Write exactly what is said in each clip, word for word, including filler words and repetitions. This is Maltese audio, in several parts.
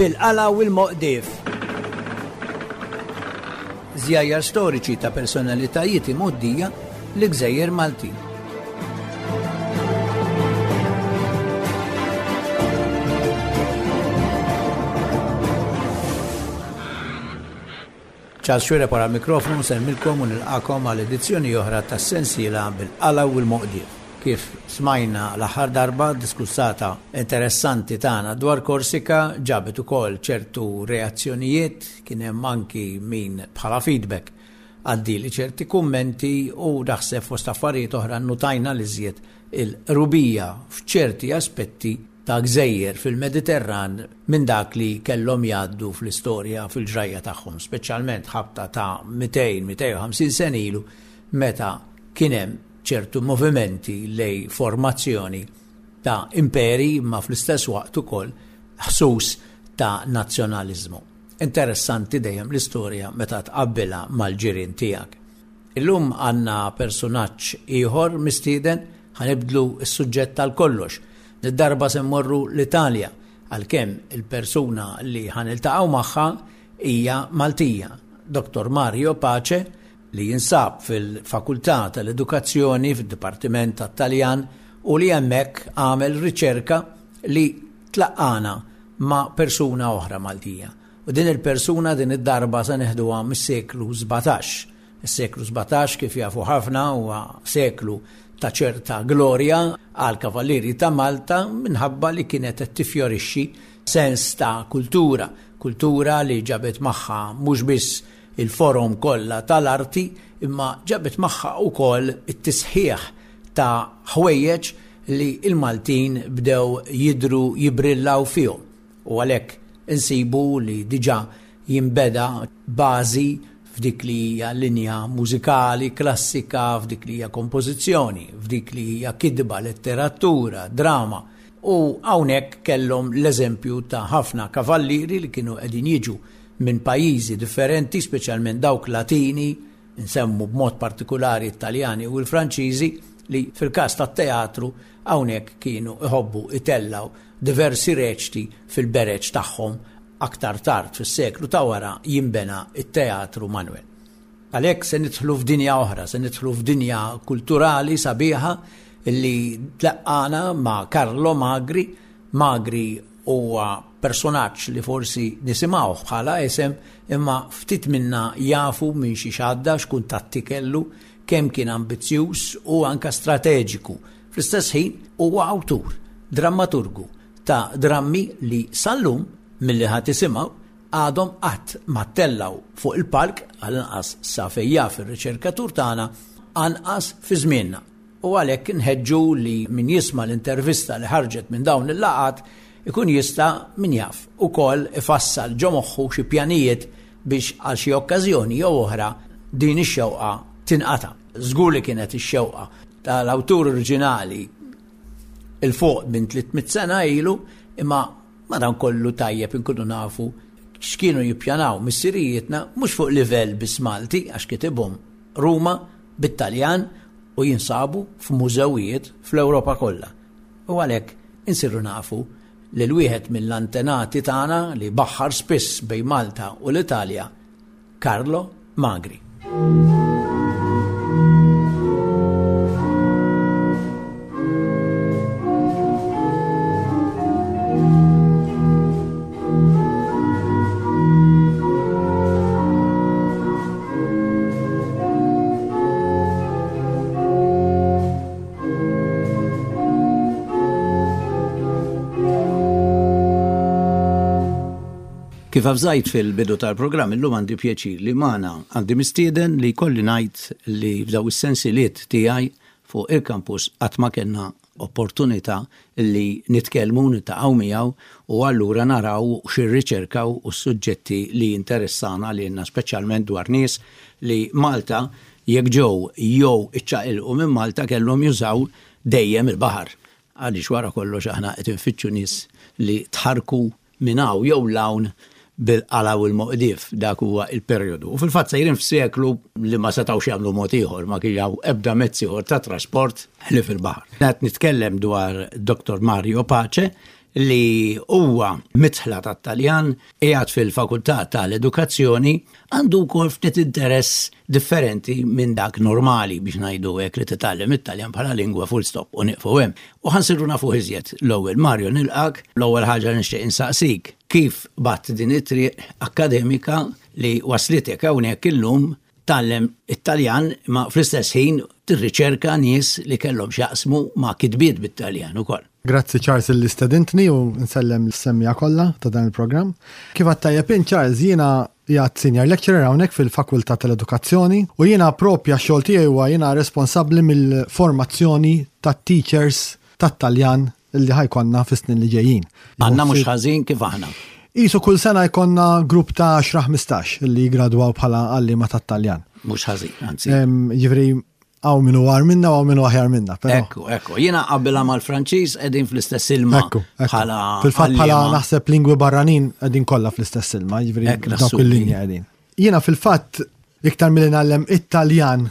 Bil-qala u l-moqdif. Żjajjar storiċi ta' personalitajiet imgħoddija li gżejjer Maltin. Charles Xuereb wara l-mikrofonu nsellmilkom u nilqakom għal edizzjoni oħra tas-sensiela Bil-Qala u l-Moqdief. Kif smajna l-aħħar darba, diskussata interessanti tagħna dwar Korsika ġabet ukoll ċertu reazzjonijiet, kien hemm anki min bħala feedback għaddili ċerti kummenti u naħseb fost affarijiet oħra nnutajna l-iżjed il-qrubija f'ċerti aspetti ta' gżejjer fil-Mediterran minn dak li kellhom jgħaddu fl-istorja fil-ġrajja tagħhom, speċjalment ħabta ta' mitejn, mitejn u ħamsin sena ilu meta kien hemm ċertu movimenti lej formazzjoni ta' imperi ma fl-istess waqt ukoll ħsus ta' nazzjonaliżmu. Interessanti dejjem l-istorja meta tqabbilha mal-ġirien tiegħek. Illum għandna personaġġ ieħor mistieden, ħanibdlu s-suġġett tal-kollox. Nid-darba se mmorru l-Italja, għalkemm il-persuna li ħaniltaqgħu magħha hija Maltija, Doktor Mario Pace, li jinsab fil-Fakultà tal-Edukazzjoni fid-Dipartiment tat-Taljan u li hemmhekk għamel riċerka li tlaqqana ma' persuna oħra Maltija. U din il-persuna din id-darba se neħduha mis-seklu sbatax. Is-seklu sbatax, kif jafu ħafna, huwa seklu ta' ċerta glorja għal kavallieri ta' Malta minħabba li kienet qed tifjorixxi sens ta' kultura, kultura li ġabet magħha mhux biss il-forom kollha tal-arti, imma ġabet magħha wkoll it-tisħiħ ta' ħwejjeġ li l-Maltin bdew jidru jibrillaw fihom. U għalhekk insibu li diġà jinbeda bażi f'dik li hija linja mużikali klassika, f'dik li hija kompożizzjoni, f'dik li hija kidba, letteratura, drama. U hawnhekk kellhom l-eżempju ta' ħafna kavallieri li kienu qegħdin jiġu minn pajjiżi differenti, speċjalment dawk Latini, nsemmu b'mod partikolari Italjani u l-Franċiżi, li fil-każ tat-teatru hawnhekk kienu iħobbu itellaw diversi reċti fil-bereġ tagħhom. Aktar tard fis-seklu ta' wara jinbena it-Teatru Manuel. Għalhekk se nidħlu f'dinja oħra, se nidħlu f'dinja kulturali sabiħa li tlaqqana ma' Carlo Magri. Magri huwa personaġġ li forsi nisimgħuh bħala isem, imma ftit minna jafu minn xi xadda, x'kuntatti kellu, kemm kien ambizzjuż u anka strateġiku. Fl-istess ħin huwa awtur, drammaturgu ta' drammi li sal-lum milli ħadd isimgħu għadhom qatt ma tellgħu fuq il-palk, għall-inqas sa fejn jaf ir-riċerkatur tagħna, anqas fi żmienna. U għalhekk nħeġġu li min jisma' l-intervista li ħarġet minn dawn il-laqgħat ikun jista' min jaf ukoll ifassal ġo moħħu xi pjanijiet biex għal xi okkażjoni jew oħra din ix-xewqa tinqata'. Żgur li kienet ix-xewqa tal-awtur oriġinali il fuq minn tliet mitt sena ilu, imma madankollu tajjeb inkunu nafu x'kienu jippjanaw missirijietna mhux fuq livell biss Malti, għax kitibhom Ruma bit-Taljan u jinsabu f'mużewijiet fl-Ewropa kollha. U għalhekk insiru nafu li l-wieħed mill-antenati tagħna li baħħar spiss bejn Malta u l-Italja, Carlo Magri. Kif avżajt fil-bidu tal-programm, illum għandi pjaċir li magħna għandi mistieden li kolli ngħid li f'daw is-sensiliet tiegħi fuq il-kampus qatt ma kellna opportunità li nitkellmu, niltaqgħu miegħu u allura naraw x'irriċerkaw u s-suġġetti li jinteressana lilna, speċjalment dwar nies li Malta jekk ġew jew iċċaqilqu minn Malta kellhom jużaw dejjem il-baħar. Għaliex wara kollox aħna qed infittxu nies li tħarku minn hawn jew l-hawn bil-qala u l-moqdif, dak huwa il-perjodu. U fil-fatt sejrin f'seklu li ma setgħux jagħmlu mod ieħor, ma kien hawn ebda mezz ieħor ta' trasport ħlief il-baħar. Qed nitkellem dwar Doktor Mario Pace li huwa mitħla tat-Taljan, qiegħed fil-Fakultà tal-Edukazzjoni, għandu wkoll ftit interess differenti minn dak normali biex ngħidu hekk li titgħallem it-Taljan bħala lingwa full stop u nieqfu hemm. U ħa nsiru nafu iżjed l-ewwel. Mario, nilqak, l-ewwel ħaġa nixtieq insaqsik kif qbadt din it-triq akkademika li waslitek hawnhekk illum tgħallem it-Taljan ma fl-istess ħin tirriċerka nies li kellhom x'jaqsmu ma' kitbiet bit-Taljan ukoll. Grazzi, Charles, li stedintni u nsellem l-semmiegħa kollha ta' dan il-programm. Kif għedt int, Charles, jiena qiegħed senior lecturer hawnhekk fil-Fakultà tal-Edukazzjoni u jiena propja xogħol tiegħi huwa jiena responsabbli mill-formazzjoni tat-teachers tat-Taljan li ħa jkollna fis-snin li ġejjin. Għandna mhux ħażin kif aħna. Isu kull sena jkollna grupp ta' għaxra ħmistax li jgradwaw bħala għalliema tat-Taljan. Mhux ħażin, anzi. Ġifieri hawn min hu agħar minna u hawn min hu aħjar minna. Ekku, ekku. Jiena qabilha mal-Franċiż, qegħdin fl-istess ilma. Ekku, ekku. Fil-fatt bħala naħseb lingwi barranin qegħdin kollha fl-istess ilma, ġifieri dawk il-linja qegħdin. Jiena fil-fatt iktar milli ngħallem it-Taljan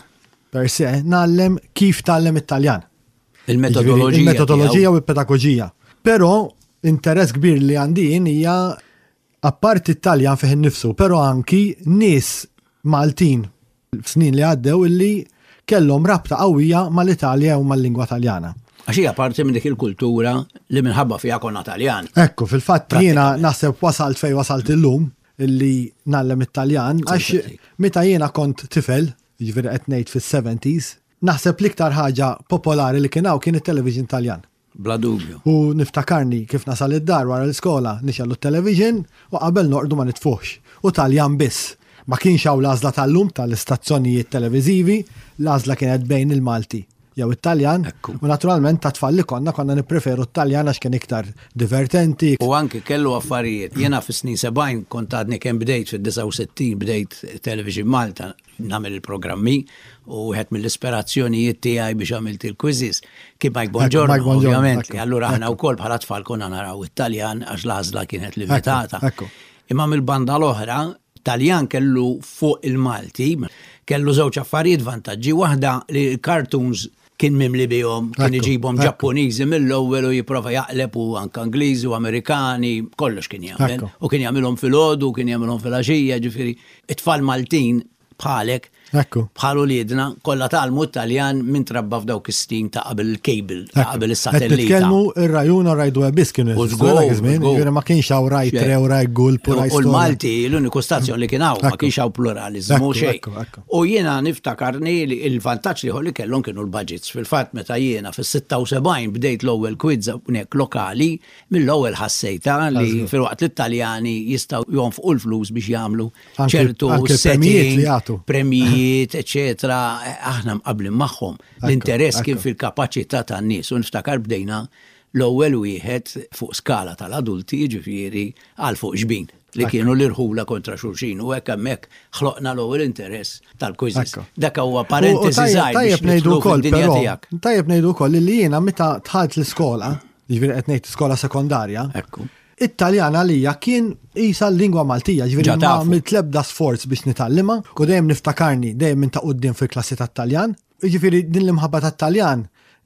per se, ngħallem kif tgħallem it-Taljan. Il-metodoloġija. Il-metodoloġija u l-pedagogija. Però interess kbir li għandi hija apparti it-Taljan fih innifsu, però anki nies Maltin f'snin li għaddew illi kellhom rabta qawwija mal-Italja u mal-lingwa Taljana. Għax hija parti minn dik il-kultura li minħabba fiha konna Taljan. Ekku, fil-fatt jiena naħseb wasalt fej wasalt illum illi ngħallem it-Taljan, għax meta jiena kont tifel, ġifieri qed ngħid fis-seventies, naħseb l-iktar ħaġa popolari li kien hawn kien it-television Taljan. Bla dubju. U niftakarni kif nasal id-dar wara l-iskola, nixgħelu t-television u qabel norqdu ma nitfuhx. U Taljan biss. Ma kienx hawn l-għażla tal-lum tal-istazzjonijiet televiżivi, l-għażla kienet bejn il-Malti jew it-Taljan. U naturalment ta' tfal li konna konna nippreferu t-Taljan għax kien iktar divertenti. U anki kellu affarijiet. Jiena fis-snin sebgħin kont għadni kemm bdejt, fid-disgħa u sittin bdejt Television Malta nagħmel il-programmi u wieħed mill-ispirazzjonijiet tiegħi biex għamilt il-quizzes kien Mike Bongiorno, ovvjament. Allura aħna wkoll bħala tfal konna naraw it-Taljan għax l-għażla kienet limitata. Imma mill-banda l-oħra, Taljan kellu fuq il-Malti, kellu żewġ affarijiet vantaġġi. Waħda li l-cartoons kien mimli bihom, kien iġibhom Ġappuniżi mill-ewwel u jipprova jaqleb u anke Ingliżi u Amerikani, kollox kien jagħmel. U kien jagħmilhom filgħodu, kien jagħmilhom filgħaxija, ġifieri it-tfal Maltin bħalek, bħal uliedna, kollha tgħallmu Taljan minn trabba f'dawk is-snin ta' qabel il-cable, ta' qabel is-satellita. Nitkellmu ir-Rai Uno, Rai Due biss kienu jeżistu, ma kienx hawn Rai Tre u Rai Gulp u Rai. U l-Malti l-uniku stazzjon li kien hawn, ma kienx hawn pluralizmu xejn. U jiena niftakarni li il-vantaġġ li li kellhom kienu l-budgets. Fil-fatt meta jiena fis-sitta u sebgħin bdejt l-ewwel quiz hawnhekk lokali, mill-ewwel ħassejta li filwaqt li t-Taljani jistgħu jonfqu l-flus biex jagħmlu ċertu setting, premijiet, eċetera, aħna mqablin magħhom. L-interess kien fil-kapaċità tan-nies u niftakar bdejna l-ewwel wieħed fuq skala tal-adulti, ġifieri għal fuq xbin li kienu l-irħula kontra xulxin u hekk hemmhekk ħloqna l-ewwel interess tal-quizzes. Dak huwa parentesi żgħir. Tajjeb ngħidu wkoll però, tajjeb ngħidu wkoll li jiena meta dħalt l-iskola, ġifieri qed ngħid skola sekondarja, it-Taljan għalija kien isa l-lingwa Maltija, ġifieri ma għamilt l-ebda sforz biex nitgħallimha u dejjem niftakarni dejjem minn ta' quddiem fil-klassi tat-Taljan. Ġifieri din l-imħabba tat-Taljan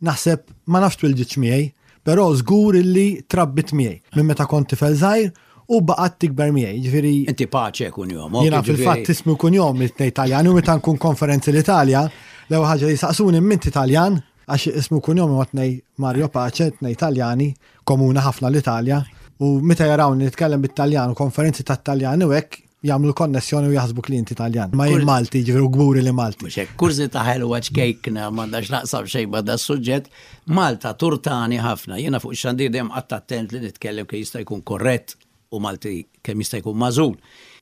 naħseb ma nafx twilditx miegħi, però żgur illi trabbit miegħi minn meta kont tifel żgħir u baqgħet tikber miegħi. Ġifieri Inti Pace kunjom. Jiena fil-fatt ismi kunjom it-tnejn Taljan u meta nkun konferenzi l-Italja, l-ewwel ħaġa li saqsuni m'inti Taljan, għax ismu kunjom huwa tnej Mario Pace, tnej Taljani, komuna ħafna l-Italja. U meta jarawni nitkellem bit-Taljan u konferenzi tat-Taljan u hekk, jagħmlu konnessjoni u jaħsbu li inti Taljan. Ma jien Malti, ġifieri kburi li Malti. Mhux hekk, kurżità ħelwa ċkejkna, m'għandax x'taqsam xejn ma' da suġġett. Malta turtani ħafna. Jiena fuq ix-xandir dejjem qatt attent li nitkellem kemm jista' jkun korrett u Malti kemm jista' jkun magħżul.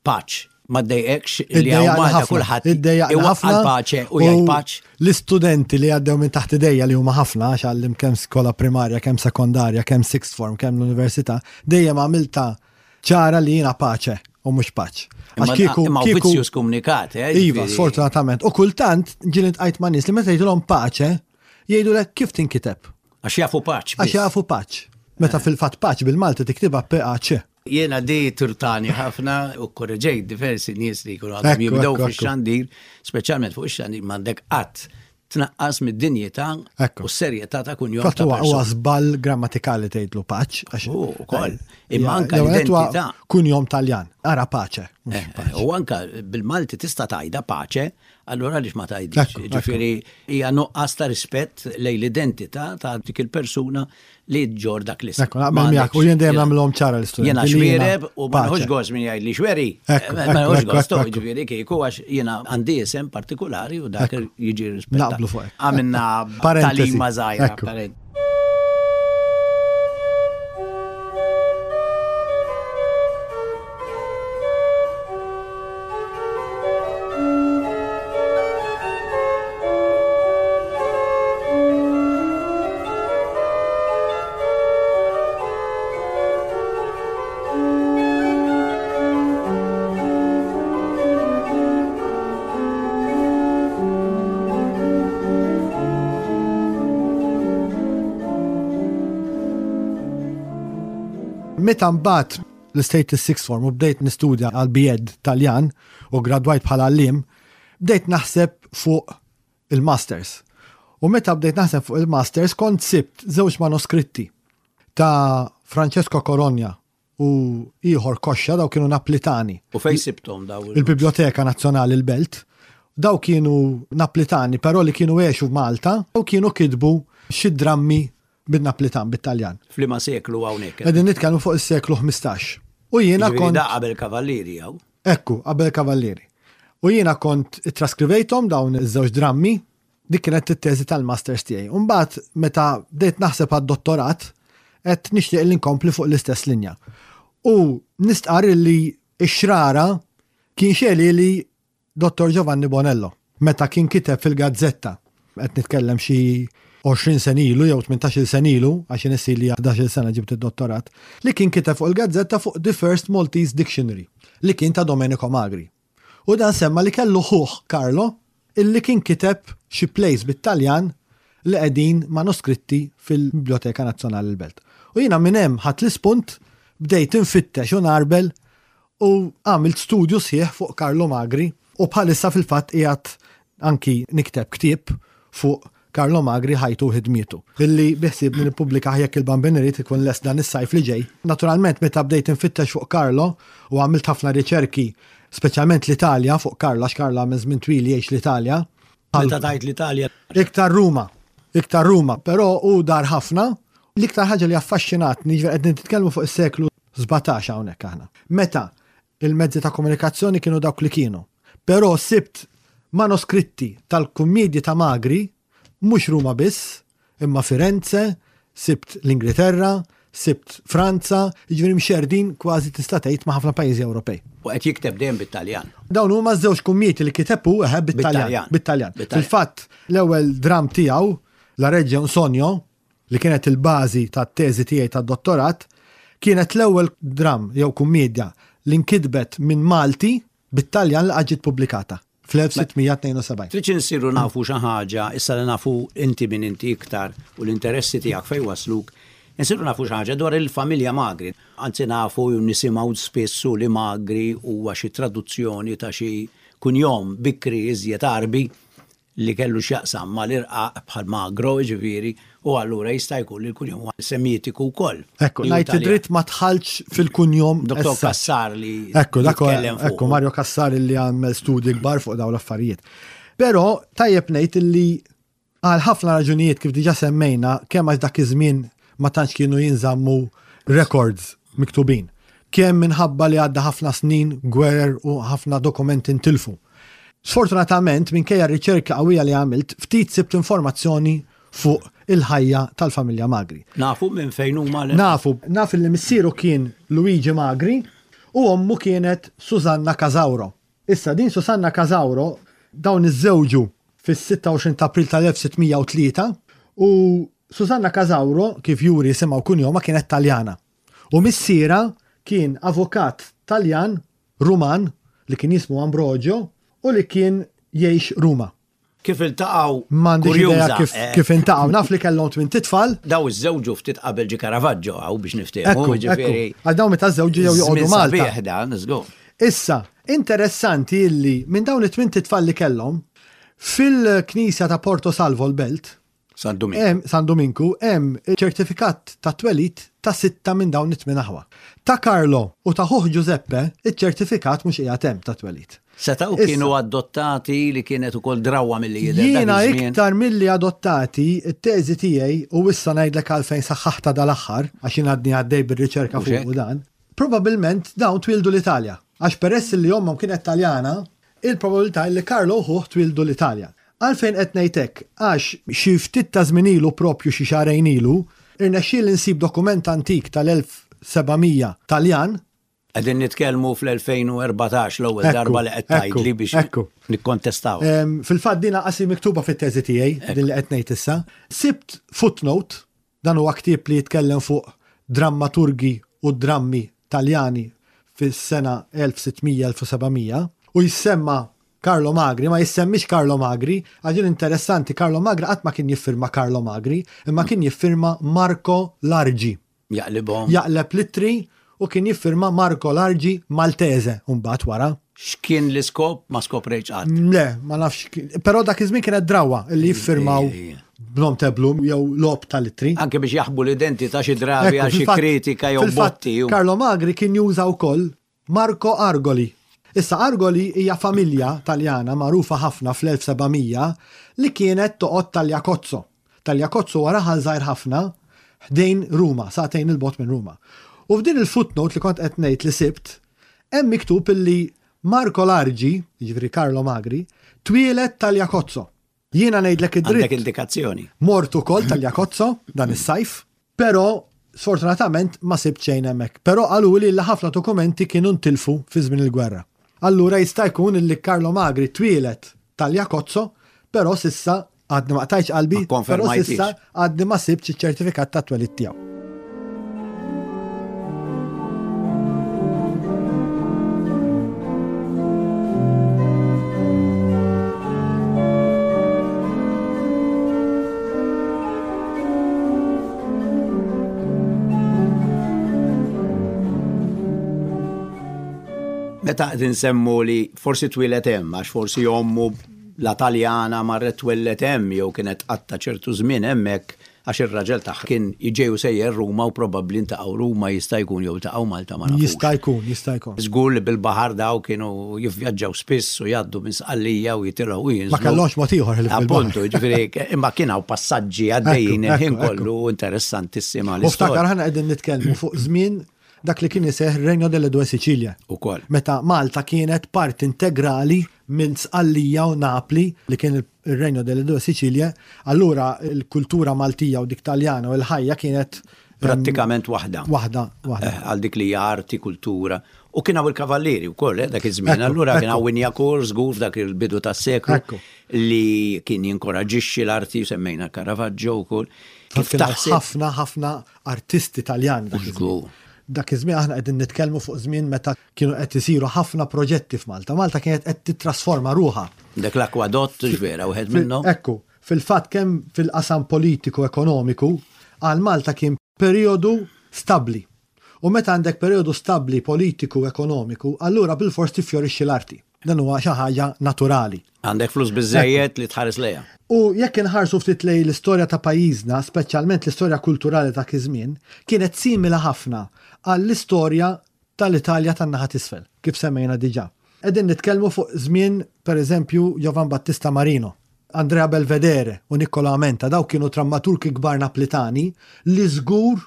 Paċ, ma ddejqekx li hawn Malta kulħadd ħafna paċe u jgħid paċ? L-istudenti li għaddew minn taħt idejja, li huma ħafna, għax għallimt kemm skola primarja, kemm sekondarja, kemm sixth form, kemm l-università, dejjem għamilta ċara li jiena Pace u mhux Paċ. Għax kieku. Imma vizzju skomunikat, eh? Iva, sfortunatament. U kultant ġieli ltqajt ma' nies li meta jgħidulhom Pace, jgħidulek kif tinkiteb. Għax jafu Paċ. Għax jafu Paċ. Meta eh. fil-fatt Paċ bil-Malti tiktibha P A C. Jiena di turtani ħafna u korreġejt diversi nies li jkunu għadhom jibdew fix-xandir, speċjalment fuq ix-xandir m'għandek qatt tnaqqas mid-dinjità u s-serjetà ta' kunjom. Fatt huwa żball grammatikali tgħidlu paċ. Ukoll. Imma anka l-identità. Kunjom Taljan, ara paċe. U anka bil-Malti tista' tgħidha paċe, allura għaliex ma tgħidix. Ġifieri hija nuqqas ta' rispett lejn l-identità ta' dik il-persuna li ġġorr dak l-isem. Ekku, naqbel miegħek u jien dejjem nagħmilhom ċara l-istudenti. Jiena Xuereb u ma nħux gost min jgħid li Xweri. Ma nħux gost, ġifieri kieku għax jiena għandi isem partikolari u dak jiġi rispettat. Naqblu fuq. Għamilna tagħlima żgħira. Meta mbagħad l-State Sixth Form u bdejt nistudja għal B Ed Taljan u gradwajt bħala għalliem, bdejt naħseb fuq il-Masters. U meta bdejt naħseb fuq il-Masters kont sibt żewġ manuskritti ta' Francesco Corogna u ieħor Koxxa, daw kienu Naplitani. U fej sibtom daw? Il-Biblioteka Nazzjonali l-Belt. Daw kienu Naplitani, però li kienu għexu f'Malta u kienu kitbu xi drammi bin-Naplitan, bit-Taljan. F'liema seklu hawnhekk? Qegħdin nitkellmu fuq is-seklu ħmistax. U jiena kont. Da qabel Kavallieri jew? Ekku, qabel Kavallieri. U jiena kont traskrivejthom dawn iż-żewġ drammi, dik kienet it-teżi tal-masters tiegħi. Mbagħad meta bdejt naħseb għad-dottorat, qed nixtieq li nkompli fuq l-istess linja. U nistqar li x-xrara kien xeli li Dottor Giovanni Bonello, meta kien kiteb fil-gazzetta, qed nitkellem xi għoxrin sena ilu jew tmintax-il sena ilu, għax nissi li ħdax-il sena ġibt id-dottorat, li kien kiteb fuq il-gazzetta fuq The First Maltese Dictionary, li kien ta' Domenico Magri. U dan semma li kellu ħuh Carlo, illi kien kiteb xi plays bit-Taljan li qegħdin manuskritti fil-Biblioteka Nazzjonali l-Belt. U jiena minn hemm ħadt l-ispunt, bdejt infittex u narbel u għamilt studju sħiħ fuq Carlo Magri u bħalissa fil-fatt qiegħed anki nikteb ktieb fuq Carlo Magri, ħajtu u ħidmietu. Illi biħsib li nippubblika jekk il-Bambin irid ikun lest dan is-sajf li ġej. Naturalment meta bdejt infittex fuq Carlo u għamilt ħafna riċerki, speċjalment l-Italja fuq Carlo, għax Carlo għamel żmien twil jgħix l-Italja. Meta tgħid l-Italja? Iktar Ruma, iktar Ruma, però hu dar ħafna. L-iktar ħaġa li affaxxinatni, ġifieri qed nitkellmu fuq is-seklu sbatax hawnhekk aħna. Meta il-mezzi ta' komunikazzjoni kienu dawk li kienu. Però sibt manuskritti tal-kummedji ta' Magri, mhux Ruma biss, imma Firenze, sibt l-Ingilterra, sibt Franza, jiġifieri mxerdin kważi tista' tgħid ma' ħafna pajjiżi Ewropej. U qed jikteb dejjem bit-Taljan. Dawn huma żewġ kummieti li kiteb hu eħe bit-Taljan. Bit-Taljan. Bit-Taljan. Fil-fatt, l-ewwel dram tiegħu, La Reggia un Sogno, li kienet il-bażi tat-teżi tiegħi tad-dottorat, kienet l-ewwel dram jew kummedja li nkitbet minn Malti bit-Taljan li ġiet pubblikata fl-elf sitt mija tnejn u sebgħin. Trid insiru nafu xi ħaġa, issa li nafu inti minn inti iktar u l-interessi tiegħek fejn wasluk, insiru nafu xi ħaġa dwar il-familja Magri. Anzi nafu u nisimgħu spissu li Magri huwa xi traduzzjoni ta' xi kunjom bikri iżjed Arbi li kellu x'jaqsam mal-irqaq bħal Magro, ġifieri, u allura jista' jkun li l-kunjom huwa semitiku wkoll. Ekku, Li hu ngħid Taljan. dritt ma tħallx fil-kunjom Doktor essa. Cassar li Ekku, dak huwa, jitkellem fuq. ekku, Mario Cassar li għamel studji kbar fuq dawn l-affarijiet. Però tajjeb ngħid li għal ħafna raġunijiet kif diġà semmejna, kemm għax dak iż-żmien ma tantx kienu jinżammu records miktubin. Kemm minħabba li għadda ħafna snin, gwerer u ħafna dokumenti ntilfu. Sfortunatament, minkejja r-riċerka qawwija li għamilt, ftit sibt informazzjoni fuq il-ħajja tal-familja Magri. Nafu minn fejn huma l- Nafu, naf li missieru kien Luigi Magri u ommu kienet Susanna Casauro. Issa din Susanna Casauro dawn iżżewġu fis-sitta u għoxrin ta' April tal-elf sitt mija u tlieta u Susanna Casauro, kif juri isimha u kunjoma, kienet Taljana. U missiera kien avukat Taljan Ruman li kien jismu Ambrogio u li kien jgħix Ruma. Kif iltaqgħu? M'għandix idea Kurjuża, kif, eh. kif iltaqgħu. Naf li kellhom tmien titfal. Daw iżżewġu ftit qabel ġi Caravaggio hawn biex niftehmu, Ekku, jiġifieri ekku. Għal dawn meta żewġu jew joqogħdu żmien Malta. sabiħ dan, żgur. Issa, interessanti illi minn dawn it-tmien titfal li kellhom, Fil-knisja ta' Porto Salvo l-Belt, San Dominku. San Dominku, hemm ċertifikat ta' twelid ta' sitta minn dawn it-tmien aħwa. Ta' Carlo u ta' ħuh Giuseppe, iċ-ċertifikat mhux qiegħed hemm ta' twelid. Setgħu kienu adottati li kienet ukoll drawwa milli jidher. Jiena iktar milli adottati, it-teżi tiegħi u issa ngħidlek għalfejn saħħaħtha dal-aħħar għax jien għadni għaddej bir-riċerka fuq dan. Probabilment dawn twildu l-Italja. Għax peress li ommhom kienet Taljana, il-probabilità li Carlo u ħuh twildu l-Italja. Għalfejn qed ngħid hekk? Għax xi ftit ta' żmien ilu propju xi xahrejn ilu, irnexxieli nsib dokument antik tal-elf seba' mija Taljan. Qegħdin nitkellmu fl-elfejn u erbatax l-ewwel darba li qed tgħidli biex nikkontestaw. Fil-fatt din qasi miktuba fit-teżi tiegħi, din li qed ngħid issa. Sibt footnote, dan huwa ktieb li jitkellem fuq drammaturgi u drammi Taljani fis-sena elf sitt mija elf u seba' mija, u jissemma Carlo Magri, ma jissemmix Carlo Magri, għax din interessanti, Carlo Magri qatt ma kien jiffirma Carlo Magri, imma kien jiffirma Marco Largi. Jaqlibhom. Jaqleb litri u kien jiffirma Marco Largi Maltese, u mbagħad wara. X'kien l-iskop? Ma skoprejtx qatt. Le, ma nafx kien, però dak iż-żmien kienet drawwa li jiffirmaw b'nom teblum jew logħob tal-ittri. Anke biex jaħbu l-identità xi drabi Ekku, għal xi fil-fatt, kritika jew fil-fatt, botti. Carlo Magri kien juża wkoll Marco Argoli. Issa Argoli hija familja Taljana magħrufa ħafna fl-elf seba' mija li kienet toqgħod Tagliacozzo. Tagliacozzo huwa raħal żgħir ħafna ħdejn Ruma, sagħtejn il-bogħod minn Ruma. U f'din il-footnote li kont qed ngħid li sibt, hemm miktub illi Marco Largi, jiġifieri Carlo Magri, twieled Tagliacozzo. Jiena ngħidlek id-dritt. Għandek indikazzjoni. Mort ukoll Tagliacozzo dan is-sajf, però sfortunatament ma sibt xejn hemmhekk. Però qaluli li ħafna dokumenti kienu ntilfu fi żmien il-gwerra. Allura jista' jkun illi Carlo Magri twieled Tagliacozzo, però sissa għadni ma qtajtx qalbi, Ma konfermajtix. però sissa għadni ma sibtx iċ-ċertifikat ta' twelid tiegħu. Meta qed insemmu li forsi twieled hemm, għax forsi ommu la Taljana marret twellet hemm jew kienet qatta ċertu żmien hemmhekk għax ir-raġel tagħha kien jiġew sejjer Ruma u probabbli ntaqgħu Ruma jista' jkun jew taqgħu Malta ma nafux. Jista' jkun, jista' jkun. Żgur li bil-baħar daw kienu jivvjaġġaw spiss u jgħaddu minn Sqallija u jitilgħu u jinżlu. Ma kellhomx mod ieħor ħlief bil-baħar. Appuntu, jiġifieri, imma kien hawn passaġġi għaddejjin Ekku, il-ħin ekku, kollu interessantissima U ftakar l-istorja. ħana qegħdin nitkellmu fuq żmien dak li kien iseħħ Regno delle Due Sicilie. Ukoll. Meta Malta kienet parti integrali minn Sqallija u Napli li kien il-Regno delle Due Sicilie, allura l-kultura Maltija u dik Taljana u l-ħajja kienet, ehm, prattikament waħda. Waħda, waħda. Eh, għal dik li hija arti, kultura. U kien hawn il-kavallieri wkoll, eh, dak iż-żmien. Ekku, Allura kien ekku. hawn Wignacourt żgur f'dak il-bidu tas-seklu Ekku. li kien jinkoraġixxi l-arti, semmejna Caravaggio wkoll. Kif Kien hawn taħseb? ħafna, ħafna artisti Taljani dak iż-żmien. Żgur. Dak iż-żmien aħna qegħdin nitkellmu fuq żmien meta kienu qed isiru ħafna proġetti f'Malta. Malta kienet qed titrasforma ruħha. Dak l-akwadott ġvera wieħed Fil- minnhom. Ekku, fil-fatt kemm fil-qasam politiku ekonomiku għal Malta kien perjodu stabbli. U meta għandek perjodu stabbli politiku ekonomiku, allura bilfors tiffjorixxi l-arti. Dan huwa xi ħaġa naturali. Għandek flus biżejjed li tħares lejha. U jekk inħarsu ftit lejn l-istorja ta' pajjiżna, speċjalment l-istorja kulturali ta' iż-żmien, kienet simili ħafna għall-istorja tal-Italja tan-naħa t'isfel, kif semmejna diġà. Qegħdin nitkellmu fuq żmien, pereżempju, Giovan Battista Marino, Andrea Belvedere u Niccolo Amenta, daw kienu drammaturgi kbar Naplitani li żgur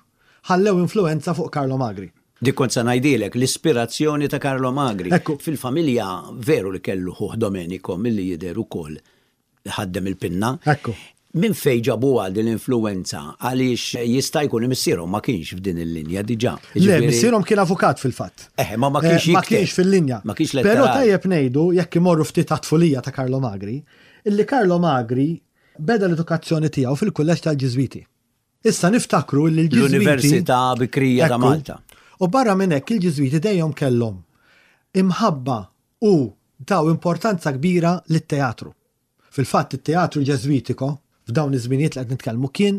ħallew influenza fuq Carlo Magri. Dik kont se ngħidilek, l-ispirazzjoni ta' Carlo Magri. Ekku. Fil-familja veru li kellu ħuh Domenico milli jidher ukoll ħaddem il-pinna. Ekku. Min fejn ġabuha din l-influenza? Għaliex jista' jkun li missierhom ma kienx f'din il-linja diġà. Le, Jiġifieri missierhom kien avukat fil-fatt. Eh, ma ma kienx Eh, ma jikteb. kienx fil-linja. Ma kienx Però letterali. tajjeb ngħidu, jekk imorru ftit għat-tfulija ta' Carlo Magri, illi Carlo Magri beda l-edukazzjoni tiegħu fil-kulleġġ tal-Ġiżwiti. Issa niftakru li l-Ġiżwiti L-Università Bikrija ta' Ekku. Malta. U barra minn hekk il-Ġiżwiti dejjem kellhom imħabba u taw importanza kbira lit-teatru. Fil-fatt it-teatru ġeżwitiko f'dawn iż-żminijiet li qed nitkellmu kien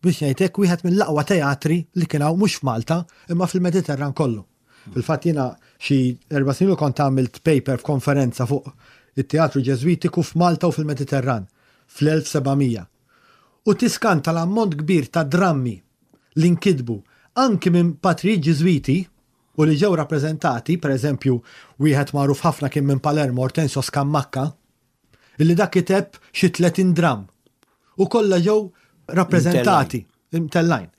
biex ngħidlek wieħed mill-aqwa teatri li kien hawn mhux f'Malta imma fil-Mediterran kollu. Fil-fatt jiena xi erba' snin kont għamilt paper f'konferenza fuq it-teatru Ġeżwitiku f'Malta u fil-Mediterran fl-elf sebgħamija. U tiskanta l-ammont kbir ta' drammi li nkitbu anki minn patrijiet Ġiżwiti u li ġew rappreżentati, per eżempju, wieħed magħruf ħafna kien minn Palermo, Ortensio Scammacca, illi dak kiteb xi tletin dramm u kollha ġew rappreżentati imtellajn.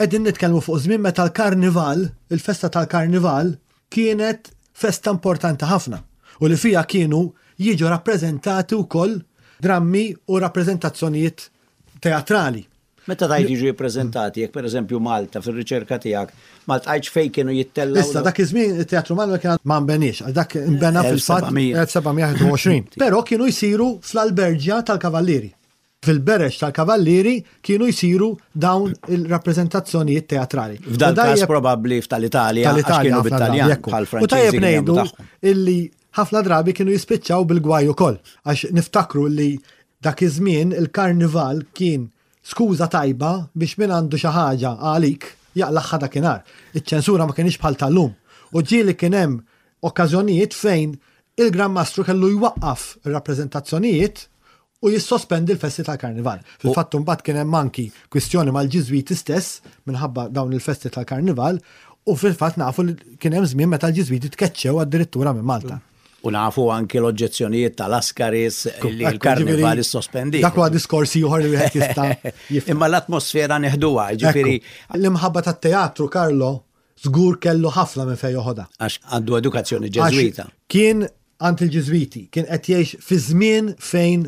Qegħdin nitkellmu fuq żmien meta l-karnival, il-festa tal-karnival, kienet festa importanti ħafna u li fija kienu jiġu rappreżentati wkoll drammi u rappreżentazzjonijiet teatrali. Meta tajt jiġu jippreżentati, jekk pereżempju Malta fir-riċerka tiegħek, ma ltqajtx fejn kienu jittellgħu. Issa dak iż-żmien it-Teatru Malta kien ma nbeniex, għal dak nbena fil-fatt elf sebgħamija wieħed u għoxrin. Però kienu jsiru fl-alberġja tal-Kavallieri. Fil-bereġ tal-Kavallieri kienu jsiru dawn il-rappreżentazzjonijiet teatrali. F'dan każ probabbli f'tal-Italja, għax kienu bit-Taljan, bħal U tajjeb ngħidu illi ħafna drabi kienu jispiċċaw bil-gwaj ukoll, għax niftakru li dak iż-żmien il-karnival kien skuża tajba biex min għandu xi ħaġa għalik jaqlaħħa dakinhar. Iċ-ċensura ma kienx bħal tal-lum. U ġieli kien hemm okkażjonijiet fejn il-Gran Mastru kellu jwaqqaf ir-rappreżentazzjonijiet u jissospendi l-festi tal-karnival. Fil-fatt mbagħad kien hemm anki kwistjoni mal-Ġiżwiti stess minħabba dawn il-festi tal-karnival u fil-fatt nafu li kien hemm żmien meta l-Ġiżwiti tkeċċew addirittura minn Malta. U nafu anki l-oġġezzjonijiet tal-Askaris li l-karnival issospendi. Dak huwa diskorsi ieħor li wieħed jista' jifhem. Imma l-atmosfera neħduha, ġifieri. L-imħabba tat-teatru, Carlo, żgur kellu ħafna minn fejn joħodha. Għax għandu edukazzjoni Ġeżwita. Kien għand il-Ġiżwiti, kien qed jgħix fi żmien fejn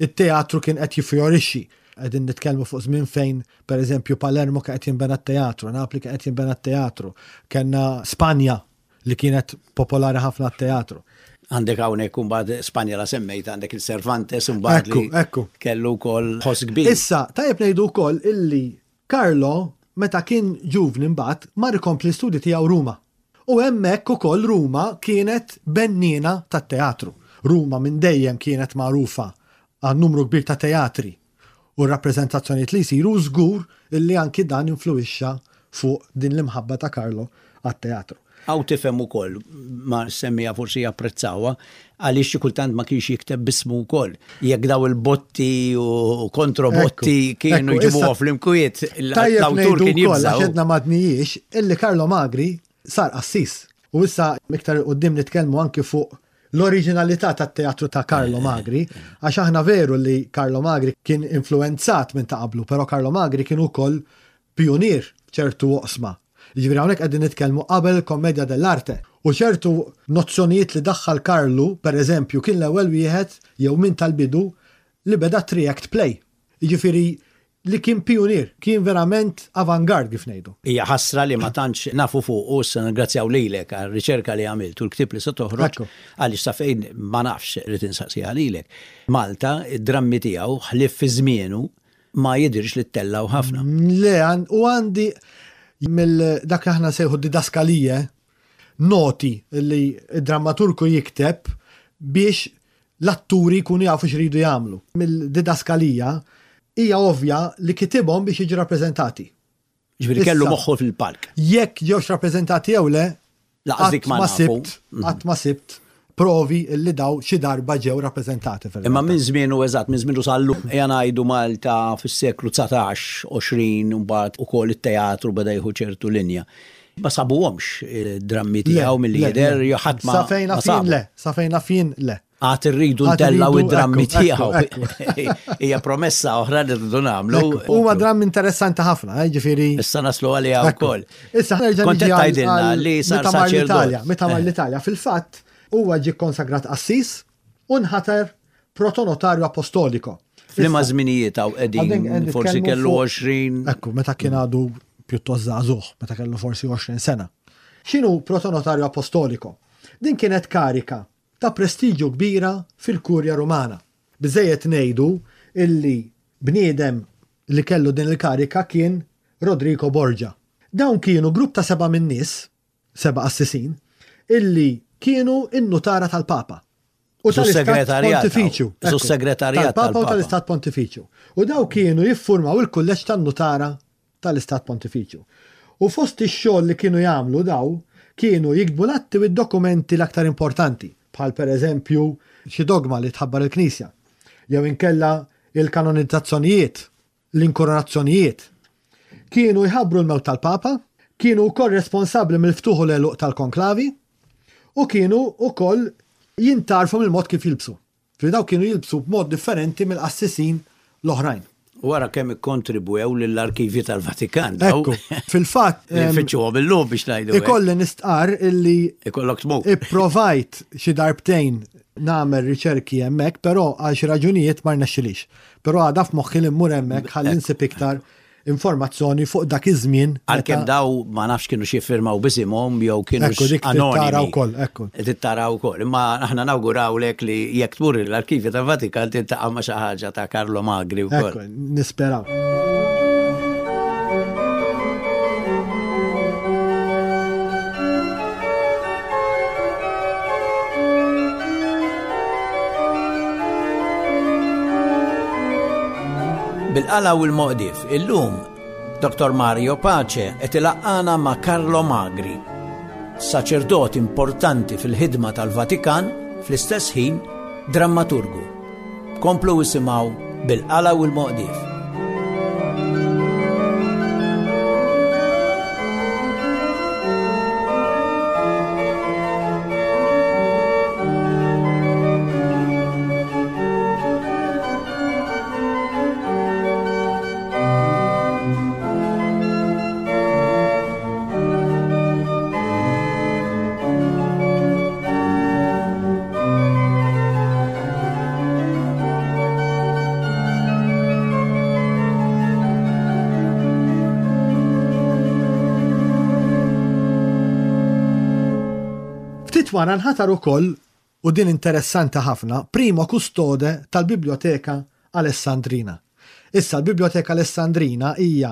it-teatru kien qed jiffjorixxi. Qegħdin nitkellmu fuq żmien fejn, pereżempju, Palermo kien qed jinbena t-teatru, Napli kien qed jinbena t-teatru, kellna Spanja li kienet popolari ħafna t-teatru. Għandek hawnhekk imbagħad Spanja la semmejt, għandek il-Cervantes imbagħad li Ekku, ekku. kellu wkoll ħoss kbir. Issa, tajjeb ngħidu wkoll illi Carlo meta kien ġuvni mbagħad mar ikompli l-istudji tiegħu Ruma. U hemmhekk ukoll Ruma kienet benniena tat-teatru. Ruma minn dejjem kienet magħrufa għal numru kbir ta' teatri u rappreżentazzjonijiet li jsiru, żgur illi anki dan influwixxa fuq din l-imħabba ta' Carlo għat-teatru. Għaw tifhem ukoll, ma semmija forsi japprezzawha, għaliex xi kultant ma kienx jikteb bismu wkoll. Jekk daw il-botti u kontrobotti Ekku, kienu ekku, jġibuha issa fl-imkwiet, tajjeb l-awtur ngħidu kien wkoll, jibżaw. għax edna m'għadnijiex, illi Carlo Magri sar qassis. U issa iktar quddiem nitkellmu anki fuq l-oriġinalità tat-teatru ta' Carlo Magri, għax aħna veru li Carlo Magri kien influenzat minn ta' qablu, però Carlo Magri kien ukoll pionier ċertu oqsma. Jiġifieri hawnhekk qegħdin nitkellmu qabel il-Commedia dell'Arte. U ċertu nozzjonijiet li daħħal Carlo, per eżempju, kien l-ewwel wieħed jew minn tal-bidu li beda three-act play. Jiġifieri li kien pionier, kien verament avant-garde kif ngħidu. Hija ħasra li ma tantx nafu fuq u issa nirringrazzjaw lilek għar-riċerka li għamilt u l-ktieb li se toħroġ, Ekku. għaliex sa fejn ma nafx rrid insaqsiha lilek. Malta, id-drammi tiegħu ħlief fi żmienu ma jidhirx li ttellgħu ħafna. Le, għan-, u għandi mill dak li aħna sejħu didaskalije, noti li id-drammaturgu jikteb biex l-atturi jkunu jafu x'ridu jagħmlu. Mill-didaskalija hija ovvja li kitibhom biex jiġu rappreżentati. Ġifieri kellu Issa, moħħu fil-palk. Jekk ġewx rappreżentati jew le, Laqas dik ma qatt ma nafu. sibt, qatt ma sibt provi li daw xi darba ġew rappreżentati fil-realtà. Imma minn żmienu eżatt, minn żmienu sal-lum, ejja ngħidu Malta fis-seklu dsatax, għoxrin, u mbagħad ukoll it-teatru beda jieħu ċertu linja. Ma sabuhomx id-drammi Le, tiegħu milli le, jidher, le. jew ħadd ma Sa fejn ma afin sabu. le, sa fejn afin le. Għad irridu Għad ntellgħu irridu, id-drammi ekku, tiegħu. ekku, Hija promessa oħra li rridu nagħmlu. Ekku, huwa dramm interessanti ħafna, eh, ġifieri. Issa naslu għaliha Ekku. wkoll. Issa ħa nerġa' Kont niġi qed għal- tgħidilna għal li sar meta mar saċerdot. l-Italja, meta mar Eh. l-Italja, fil-fatt huwa ġie konsagrat qassis u nħater protonotarju apostoliko. F'liema Issa, żminijiet hawn qegħdin għadin qegħdin forsi nitkellmu kellu fuq għoxrin. Ekku, meta kien għadu pjuttost żagħżugħ, meta kellu forsi għoxrin sena. X'inhu protonotarju apostoliko? Din kienet karika ta' prestiġju kbira fil-Kurja Rumana. Biżejjed ngħidu illi bniedem li kellu din il-karika kien Rodrigo Borgia. Dawn kienu grupp ta' seba' min nies, seba' assisin, illi kienu in-nutara tal-Papa. U Su tal-Istat segretarjat, Pontifiċju. su Ekku, segretarjat tal-Papa u tal-Papa. tal-Istat Pontifiċju. U daw kienu jiffurmaw il-kulleġġ tan-nutara tal-Istat Pontifiċju. U fost ix-xogħol li kienu jagħmlu daw kienu jiktbu l-atti u d-dokumenti l-aktar importanti. Bħal per eżempju xi dogma li tħabbar il-Knisja, jew inkella il-kanonizzazzjonijiet, l-inkoronazzjonijiet. Kienu jħabbru l-mewt tal-Papa, kienu wkoll responsabbli mill-ftuħ u l-għeluq tal-konklavi, u kienu wkoll jintarfu mill-mod kif jilbsu. Fi daw kienu jilbsu b'mod differenti mill-qassisin l-oħrajn. Wara kemm ikkontribwew lill-arkivji tal-Vatikan. Ekku, fil-fatt. Nfittxuhom illum biex ngħidu. Ikolli nistqar illi. Ikollok tmur. Ipprovajt xi darbtejn nagħmel riċerki hemmhekk, però għal xi raġunijiet ma rnexxilix. Però għadha f'moħħi li mmur hemmhekk ħalli nsib iktar informazzjoni fuq dak iż-żmien. Għalkemm daw ma nafx kienu xi firmaw bisimhom jew kienu anonimi. Wkoll, ekku. Tittara wkoll. Imma aħna nawgurawlek li jekk tmur l-arkivju tal-Vatikan tiltaqa' ma' xi ħaġa ta' Carlo Magri wkoll. Ekku, nisperaw. Bil-qala u l-moqdif, illum Doktor Mario Pace qed ilaqqana ma' Carlo Magri, saċerdot importanti fil-ħidma tal-Vatikan, fl-istess ħin drammaturgu. Komplu isimgħu Bil-qala u l-moqdif. Wara nħatar ukoll, u din interessanti ħafna, primo kustode tal-Biblioteka Alessandrina. Issa l-Biblioteka Alessandrina hija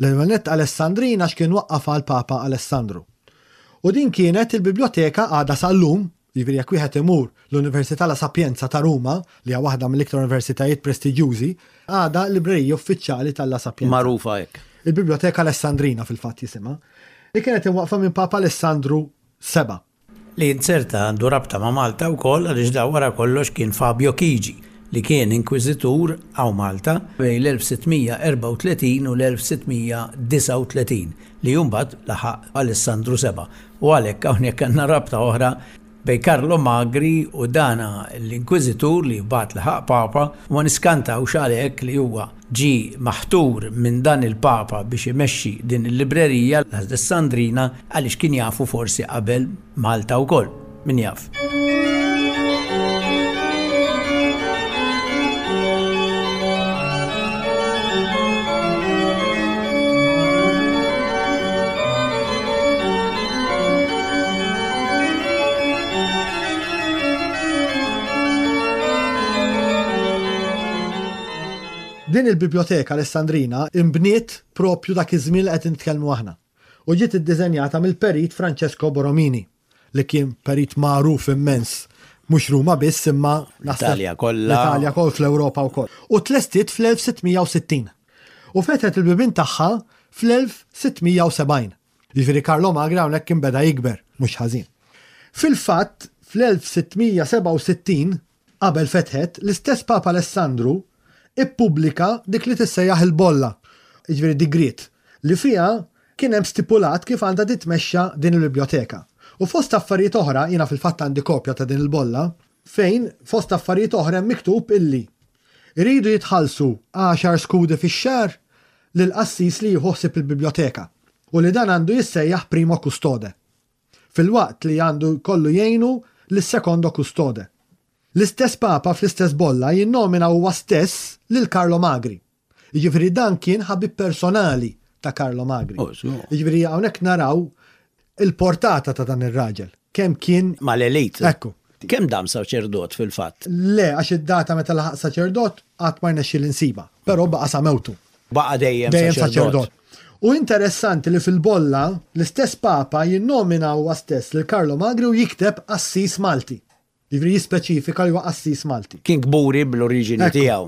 l-Element Alessandrina x'kien waqqafha l-Papa Alessandru. U din kienet il-biblioteka għadha sal-lum, jiġifieri jekk wieħed imur l-Università La Sapienza ta' Ruma, li hija waħda mill-iktar universitajiet prestiġjużi, għadha l-librerija uffiċjali tal-La Sapienza. Magħrufa hekk. Il-Biblioteka Alessandrina fil-fatt jisimha, li kienet imwaqqfa minn Papa Alessandru seba'. Li inzerta għandu rabta ma' Malta wkoll għaliex da wara kollox kien Fabio Chigi li kien inkwiżitur għaw Malta bejn l-elf sittmija erbgħa u tletin u l-elf sittmija disgħa u tletin li mbagħad laħaq Alessandru seba'. U għalhekk hawnhekk għandna rabta oħra bejn Carlo Magri u dana l-inkwiżitur li mbagħad laħaq Papa, u ma niskantawx għalhekk li huwa ġie maħtur minn dan il-Papa biex imexxi din il-librerija l-Alessandrina għaliex kien jafu forsi qabel Malta wkoll, min jaf. Din il-Biblioteka Alessandrina imbniet propju dak iż-żmien li qed nitkellmu aħna. U ġiet iddiżenjata mill-perit Francesco Borromini, li kien perit magħruf immens, mhux Ruma biss imma naħseb L-Italja kollha. L-Italja koll fl-Ewropa wkoll. U tlestiet fl-elf sittmija u sittin. U fetħet il-bibien tagħha fl-elf sittmija u sebgħin. Jiġifieri Carlo Magri hawnhekk kien beda jikber, mhux ħażin. Fil-fatt, fl-elf sittmija sebgħa u sittin, qabel fetħet, l-istess Papa Alessandru ippubblika dik li tissejjaħ il-bolla, jiġifieri digriet, li fiha kien hemm stipulat kif għandha titmexxa din il-biblioteka. U fost affarijiet oħra, jiena fil-fatt għandi kopja ta' din il-bolla, fejn fost affarijiet oħra hemm miktub illi iridu jitħallsu għaxar skudi fix-xahar lil qassis li jieħu ħsieb il-biblioteka u li dan għandu jissejjaħ primo custode, filwaqt li għandu kollu jgħinu lis-secondo custode. L-istess Papa fl-istess bolla jinnomina huwa stess lil Carlo Magri. Jiġifieri dan kien ħabib personali ta' Carlo Magri. Oh, so. Jiġifieri hawnhekk naraw il-portata ta' dan ir-raġel. Kemm kien mal-elit. Ekku. Kemm dam saċerdot fil-fatt? Le, għax id-data meta laħaq saċerdot qatt ma rnexxiel insiba, però baqa' sa mewtu. Baqa' dejjem Dejjem saċerdot. saċerdot. U interessanti li fil-bolla l-istess Papa jinnomina huwa stess lil Carlo Magri u jikteb qassis Malti. Jiġifieri jispeċifika li huwa qassis Malti. Kien kburi bl-oriġini Ekku. tiegħu.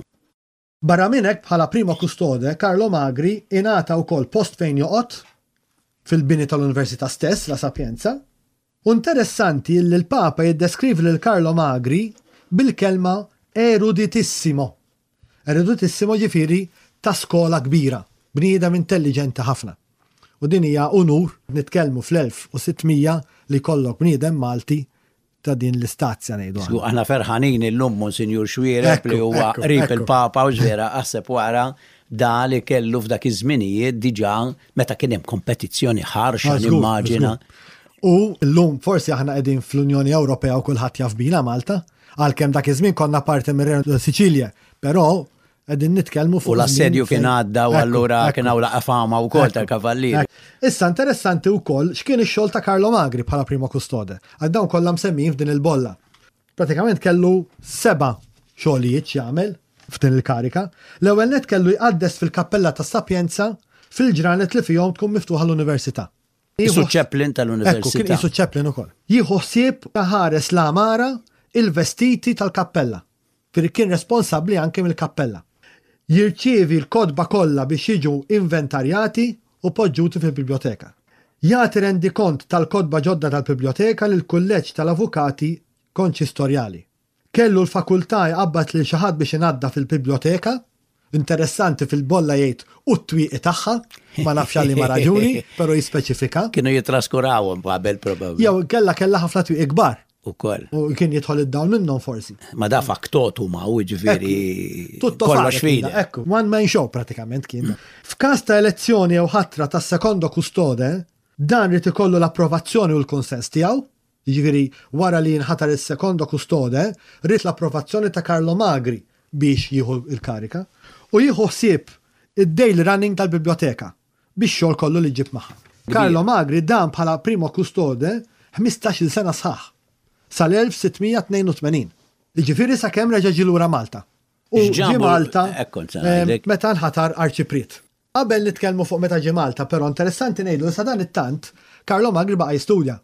Barra minn hekk bħala primo custode, Carlo Magri ingħata wkoll post fejn joqgħod fil-bini tal-Università stess, La Sapienza, U interessanti li l-Papa jiddeskrivi lil Carlo Magri bil-kelma eruditissimo. Eruditissimo ġifieri ta' skola kbira, bniedem intelligenti ħafna. U din hija unur nitkellmu fl-elf u sitt mija li kollok bniedem Malti ta' din l-istazja, ngħidu aħna. Aħna ferħanin illum Monsinjur Xuereb li huwa qrib il-Papa u ġvera aħseb wara da li kellu f'dak iż-żminijiet diġà meta kien hemm kompetizzjoni ħarxa, nimmaġina. U llum forsi aħna qegħdin fl-Unjoni Ewropea u kulħadd jaf bina Malta, għalkemm dak iż-żmien konna parti mir-Renju Siċilja, però qegħdin nitkellmu fuq. U l-assedju kien għadda u allura kien hawn laqgħa fama wkoll tal-kavallieri. Issa interessanti wkoll x'kien ix-xogħol ta' Carlo Magri bħala primo custode. Għal dawn kollha msemmijin f'din il-bolla. Pratikament kellu seba' xogħlijiet jagħmel f'din il-karika. L-ewwel net kellu jqaddes fil-Kappella ta' Sapienza fil-ġranet li fihom tkun miftuħa l-università. Qisu chaplain tal-università. Kien qisu chaplain ukoll. Jieħu ħsieb ħares l-għamara, il-vestiti tal-kappella. Fir kien responsabbli anke mill-kappella. Jirċievi l-kotba kollha biex jiġu inventarjati u poġġuti fil-biblioteka. Jagħti rendikont tal-kotba ġodda tal-biblioteka lil kulleġġ tal-avukati konċistorjali. Kellu l-fakultà jqabbad lil xi ħadd biex inaddaf fil-biblioteka. Interessanti, fil-bolla jgħid u t-twieqi tagħha, ma nafx għal liema raġuni, però jispeċifika. Kienu jitraskurawhom qabel probabbli. Jew kella kella ħafna twieqi kbar. Ukoll. U kien jidħol id-dawl minnhom forsi. Ma da factotum u ġifieri kollox fide. Ekku, one man show pratikament kien. F'każ ta' elezzjoni jew ħatra ta' secondo custode, dan rid ikollu l-approvazzjoni u l-konsens tiegħu. Jiġifieri wara li jinħatar il-secondo custode, ried l-approvazzjoni ta' Carlo Magri biex jieħu il-karika. U jieħu ħsieb id-daily running tal-biblioteka biex xogħol kollu li ġib magħha. Carlo Magri dan bħala primo custode ħmistax-il sena sħaħ sal-elf sitt mija tnejn u tmenin. Jiġifieri sakemm reġa' ġie lura Malta. U ġie Malta meta nħatar arċipriet. Qabel nitkellmu fuq meta ġie Malta, però interessanti ngħidu li sa dan it-tant Carlo Magri baqa' jistudja.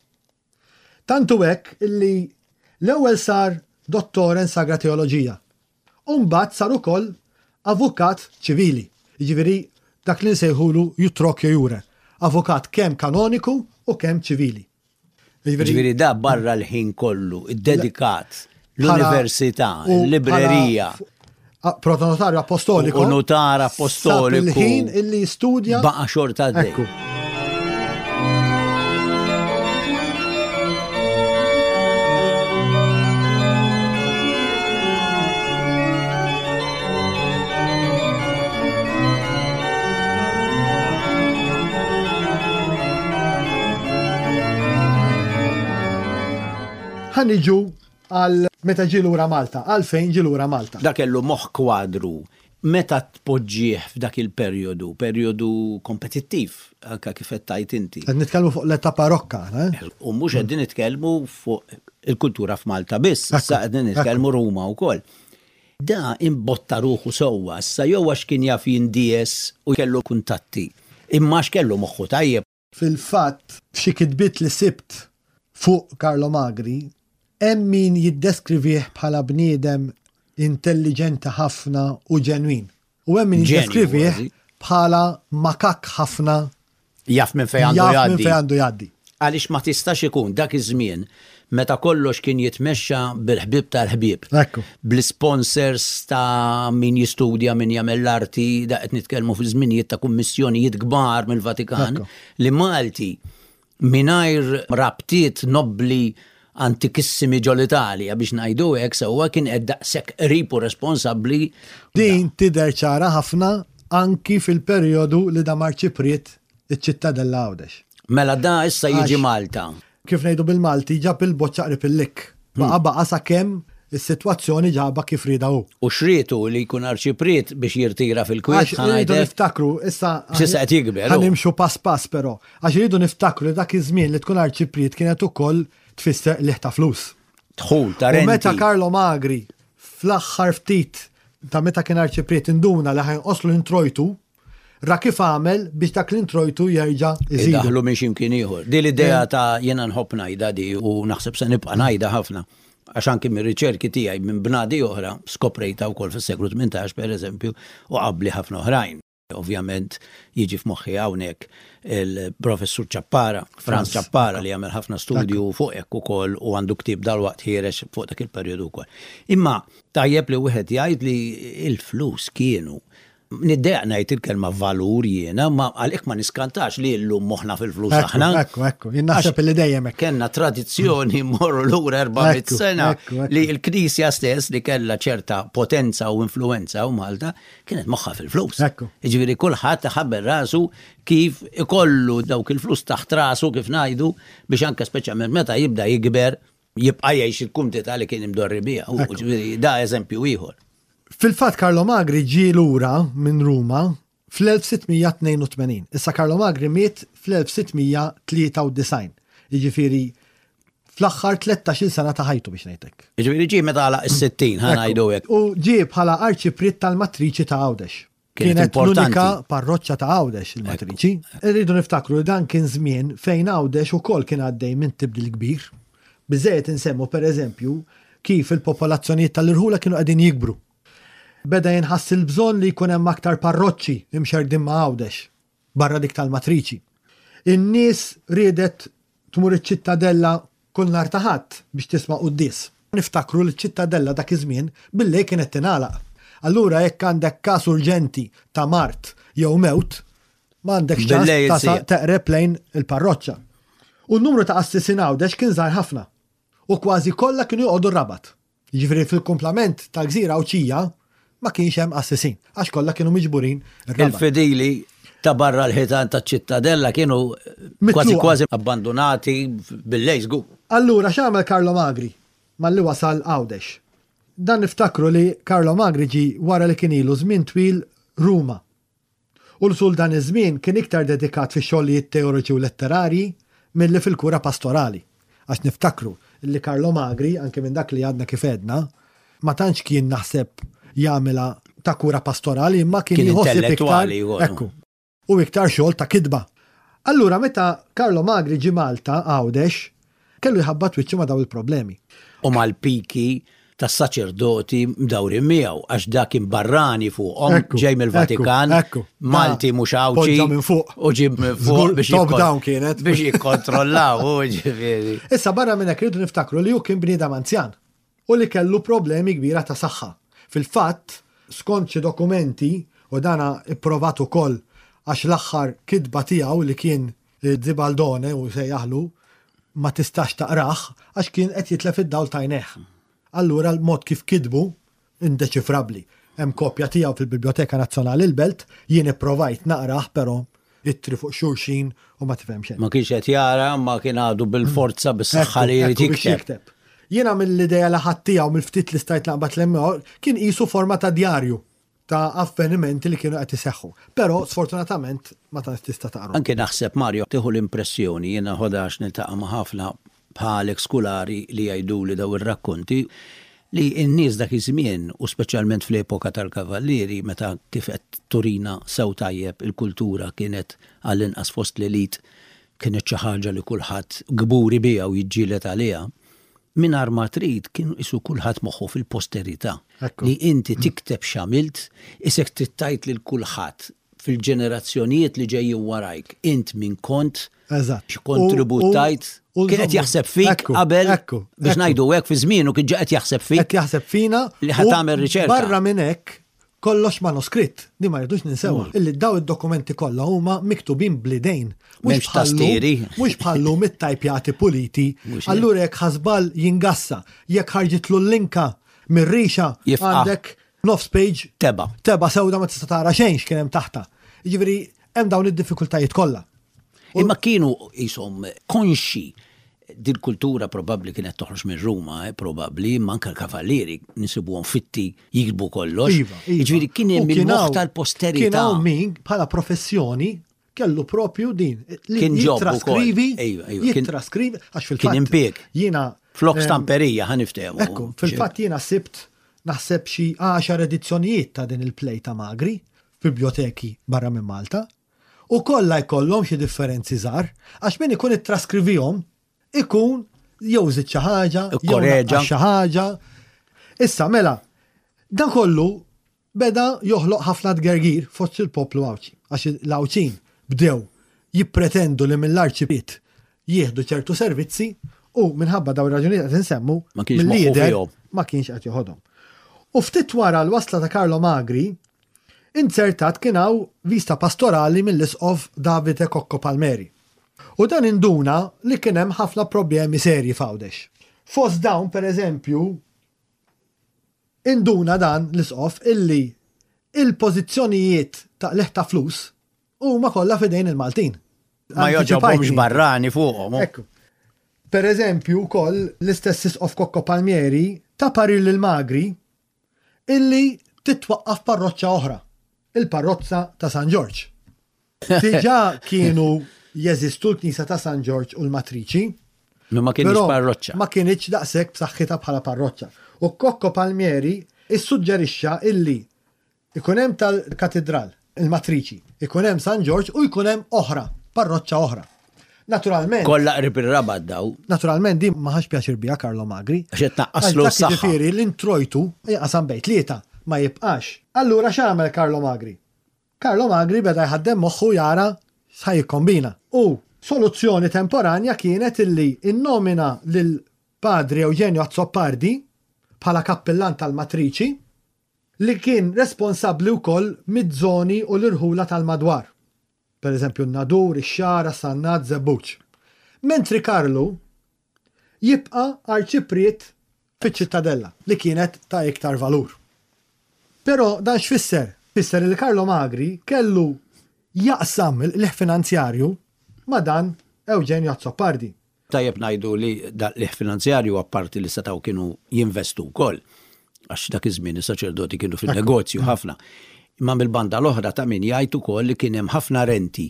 Tantu hekk illi l-ewwel sar dottor in Sagra Teoloġija. U mbagħad sar ukoll avukat ċivili. Jiġifieri dak li nsejħulu utroque iure. Avukat kemm kanoniku u kemm ċivili. Ġifieri da barra l-ħin kollu, dedikat l-università, l-librerija. Protonotarju apostoliku. U notar apostoliku. Il-ħin illi studja. Baqa xorta. Ekku. Ħa niġu għal meta ġie lura Malta, għalfejn ġie lura Malta. Da kellu moħ kwadru meta tpoġġih f'dak il-perjodu, perjodu kompetittiv, anka kif qed tgħid inti. Qed nitkellmu fuq l-età barokka, eh? U mhux qegħdin nitkellmu fuq il-kultura f'Malta biss, issa qegħdin nitkellmu Ruma wkoll. Da imbotta ruħu sewwa, issa jew għax kien jaf jindies u kellu kuntatti. Imma kellu moħħu tajjeb. Fil-fatt, f'xi kitbiet li sibt fuq Carlo Magri, hemm min jiddeskrivih bħala bniedem intelligenti ħafna u ġenwin. U hemm min jiddeskrivih bħala makak ħafna. Jaf minn fejn għandu jaf minn fejn għandu jgħaddi. Għaliex ma tistax ikun dak iż-żmien meta kollox kien jitmexxa bil-ħbib tal-ħbieb. Bl-sponsors ta' min jistudja, min jagħmel l-arti, da qed nitkellmu fi żminijiet ta' kummissjonijiet kbar mill-Vatikan li Malti mingħajr rabtiet nobbli antikissimi ġol-Italja, biex ngħidu hekk sewwa, kien qed daqshekk qrib u responsabbli. Din tidher ċara ħafna anki fil-perjodu li dam arċipriet iċ-Ċittadella Għawdex. Mela da issa jiġi Malta. Kif ngħidu bil-Malti, ġab il-boċċa qrib il-likk. Baqa baqa sakemm is-sitwazzjoni ġaba kif rieda hu. U xrietu li jkun arċipriet biex jirtira fil-kwiet. Għax irridu niftakru, issa. Issa qed jikber. Ħa nimxu pass pass però. Għax irridu niftakru li dak iż-żmien li tkun arċipriet kienet ukoll tfisser qligħ ta' flus. Dħul ta' U meta renti. Carlo Magri fl-aħħar ftit ta' meta kien arċipriet induna li ħa jonqoslu l-introjtu, ra kif għamel biex dak l-introjtu jerġa' iżidu. Idaħlu minn ximkien ieħor. Di l-idea ta' jiena nħobb ngħidha di u naħseb se nibqa' ngħidha ħafna. Għax anki mir-riċerki tiegħi minn bnadi oħra skoprejta wkoll fis-seklu tmintax, pereżempju, u qabli ħafna oħrajn. Ovvjament jiġi f'moħħi hawnhekk il-professur Ciappara, Franz Ciappara, li għamel ħafna studju fuq hekk ukoll u għandu ktieb dalwaqt ħiereġ fuq dak il-perjodu wkoll. Imma tajjeb li wieħed jgħid li l-flus kienu, niddejjaq ngħid il-kelma valur jiena, ma għalhekk ma niskantax li llum moħħna fil-flus aħna. Ekku, ekku, jien naħseb li dejjem hekk. Kellna tradizzjoni mmorru lura erba' mitt sena li l-Knisja stess, li kellha ċerta potenza u influenza u Malta, kienet moħħa fil-flus. Jiġifieri kulħadd ħabbel rasu kif ikollu dawk il-flus taħt rasu, kif ngħidu, biex anke speċjalment meta jibda jikber jibqa' jgħix il-kumdità li kien imdorri biha. Ġifieri da eżempju ieħor. Fil-fatt Carlo Magri ġie lura minn Ruma fl-elf sitt mija tnejn u tmenin. Issa Carlo Magri miet fl-elf sitt mija tlieta u disgħin. Jiġifieri fl-aħħar tlettax-il sena ta' ħajtu, biex ngħidlek. Jiġifieri ġie meta għalaq is-sittin, ħa ngħidu hekk. U ġie bħala arċipriet tal-Matriċi ta' Għawdex. Kienet l-unika parroċċa ta' Għawdex, il-Matriċi. Irridu niftakru li dan kien żmien fejn Għawdex ukoll kien għaddej minn tibdil kbir. Biżejjed insemmu, per eżempju, kif il-popolazzjonijiet tal-irħula kienu qegħdin jikbru. Beda jinħass il-bżonn li jkun hemm aktar parroċċi imxerdin ma' Għawdex barra dik tal-Matriċi. In-nies riedet tmur iċ-Ċittadella kull nhar ta' Ħadd biex tisma' quddies. Niftakru li ċ-Ċittadella dak iż-żmien billejl kienet tingħalaq. Allura jekk għandek każ urġenti ta' mard jew mewt, m'għandekx ċans teqreb lejn il-parroċċa. U n-numru ta' qassisin Għawdex kien żgħar ħafna. U kważi kollha kienu joqogħdu r-Rabat. Jiġifieri fil-kumplament tal-gżira Għawdxija ma kienx hemm qassisin, għax kollha kienu miġburin. Il-fidili ta' barra l-ħitan ta' Ċittadella kienu kważi kważi abbandonati bil-lejl żgur. Allura x'għamel Carlo Magri malli wasal Għawdex? Dan niftakru li Carlo Magri ġi wara li kien ilu żmien twil Ruma. U l-sul dan iż-żmien kien iktar dedikat fi xogħlijiet teoriċi u letterari milli fil-kura pastorali. Għax niftakru li Carlo Magri, anke minn dak li għadna kif għedna, ma tantx kien naħseb jagħmilha ta' kura pastorali, imma kien jħossib iktar. Ekku. U iktar xogħol ta' kitba. Allura meta Carlo Magri ġi Malta, Għawdex, kellu jħabbat wiċċu ma' daw il-problemi. U mal-piki tas-saċerdoti mdawrin miegħu, għax dak kien barrani fuqhom, ġej mill-Vatikan, Malti mhux Għawdxi. Minn fuq. U ġie minn fuq biex top down kienet. Biex jikkontrollaw, ġifieri. Issa barra minn hekk rridu niftakru li hu kien bniedem anzjan u li kellu problemi kbira ta' saħħa. Fil-fatt, skont xi dokumenti, u dana ipprovat ukoll għax l-aħħar kitba tiegħu, li kien Zibaldone u sejjaħlu, ma tistax taqrah għax kien qed jitlef id-dawl t'għajnejh. Allura l-mod kif kitbu indeċifrabli. Hemm kopja tiegħu fil-Biblioteka Nazzjonali l-Belt, jien ipprovajt naqrah, però ittri fuq xulxin u ma tifhem xejn. Ma kienx qed jara, ma kien għadu bil-forza, bis-saħħa li jrid jikteb. Jiena mill-idea li ħadd tiegħu, mill-ftit li stajt naqbad l kien qisu forma ta' djarju ta' avvenimenti li kienu qed iseħħu. Però sfortunatament ma tantx tista' taqra. Anke naħseb, Mario, tieħu l-impressjoni, jiena ħodax niltaqa' ma' ħafna bħalek skulari li jgħidu li daw ir-rakkonti, li n-nies dak iż-żmien, u speċjalment fl-epoka tal-Kavallieri, meta, kif qed turina sew tajjeb, il-kultura kienet, għall-inqas fost l-elit, kienet xi ħaġa li kulħadd kburi biha u jiġġieled għaliha, mingħajr ma trid kienu qisu kulħadd moħħu fil-posterità. Li inti tikteb x'għamilt, isek trid lil kulħadd fil-ġenerazzjonijiet li ġejjin warajk. Int min kont, x'kontribut tajt, kien qed jaħseb fik qabel, biex ngħidu hekk, fi żmienu kien ġa qed jaħseb fik. Qed jaħseb fina. Li ħa tagħmel riċerka. Barra minn hekk kollox manuskritt, di ma rridux ninsewa. Illi daw id-dokumenti kollha huma miktubin bl-idejn. Mhux tastieri. Mhux bħallum it-tajpjati puliti. Allura jekk ħa żball jingassa, jekk ħarġitlu l-linka mir-rixa, għandek nofs page teba. Teba sewda, ma tista' tara xejn x'kien hemm taħta. Jiġifieri hemm dawn id-diffikultajiet kollha. Imma kienu jisom konxi din kultura probabbli kienet toħroġ minn Ruma, eh, probabbli, imma anke l-kavallieri nisibuhom fitti jiktbu kollox. Iva, iva. Jiġifieri kien hemm il-moħħ tal-posterità. Kien hawn min bħala professjoni kellu propju din. Kien job. Jittraskrivi, jittraskrivi, għax fil-fatt. Kien impieg. Jiena. Flok stamperija, ħa niftehmu. Ekku, fil-fatt jiena sibt naħseb xi għaxar edizzjonijiet ta' din il-play ta' Magri f'biblioteki barra minn Malta. U kollha jkollhom xi differenzi żgħar, għax min ikun ittraskrivihom ikun jew żid xi ħaġa, jew xi ħaġa. Issa mela, dan kollu beda joħloq ħafna tgergir fost il-poplu Għawdxi. Għax l-Għawdxin bdew jippretendu li mill-arċipriet jieħdu ċertu servizzi u minħabba dawn ir-raġunijiet qed insemmu Ma kienx moħħu mill-lider fihom. ma kienx qed joħodhom. U ftit wara l-wasla ta' Carlo Magri, inzertat kien hawn vista pastorali mill-isqof Davide Cocco Palmeri. U dan induna li kien hemm ħafna problemi serji f'Għawdex. Fost dawn, per eżempju, induna dan l-isqof illi il-pożizzjonijiet ta' leħ ta' flus huma kollha f'idejn il-Maltin. Ma joġobhomx barrani fuqhom. Ekku. Per eżempju, wkoll l-istess isqof Cocco Palmieri ta parir lil Magri illi titwaqqaf parroċċa oħra, il-parroċċa ta' San Ġorġ. Diġà kienu jeżistu l-Knisja ta' San Ġorġ u l-Matriċi, Ma ma kienx però parroċċa. Ma kienx daqshekk b'saħħitha bħala parroċċa. U Cocco Palmieri issuġġerixxa illi ikun hemm tal-katedral, il-Matriċi, ikun hemm San Ġorġ u jkun hemm oħra, parroċċa oħra. Naturalment, Kollha qrib ir-Rabat daw. naturalment din ma ħax pjaċir biha Carlo Magri. Għax qed tnaqqaslu Għax dak s-saħħa. Jiġifieri l-introjtu jinqasam bejn tlieta ma jibqax. Allura x'għamel Carlo Magri? Carlo Magri beda jħaddem moħħu jara x'ħa jikkombina. U soluzzjoni temporanja kienet illi innomina lil Padre Eugenio Azzopardi bħala kappillan tal-Matriċi li kien responsabbli wkoll mid-żoni u l-irħula tal-madwar. Per eżempju, n-Nadur, ix-Xagħra, Sannat, Żebbuġ. Mentri Karlu jibqa' arċipriet fiċ-Ċittadella li kienet ta' iktar valur. Però dan x'fisser? Fisser li Carlo Magri kellu jaqsam il-qligħ finanzjarju ma' dan Eugenio Azzopardi. Tajjeb ngħidu li da l-qligħ finanzjarju apparti li setgħu kienu jinvestu wkoll. Għax dak iż-żmien is-saċerdoti kienu fin-negozju ħafna. Imma mill-banda l-oħra ta' min jgħid ukoll li kien hemm ħafna renti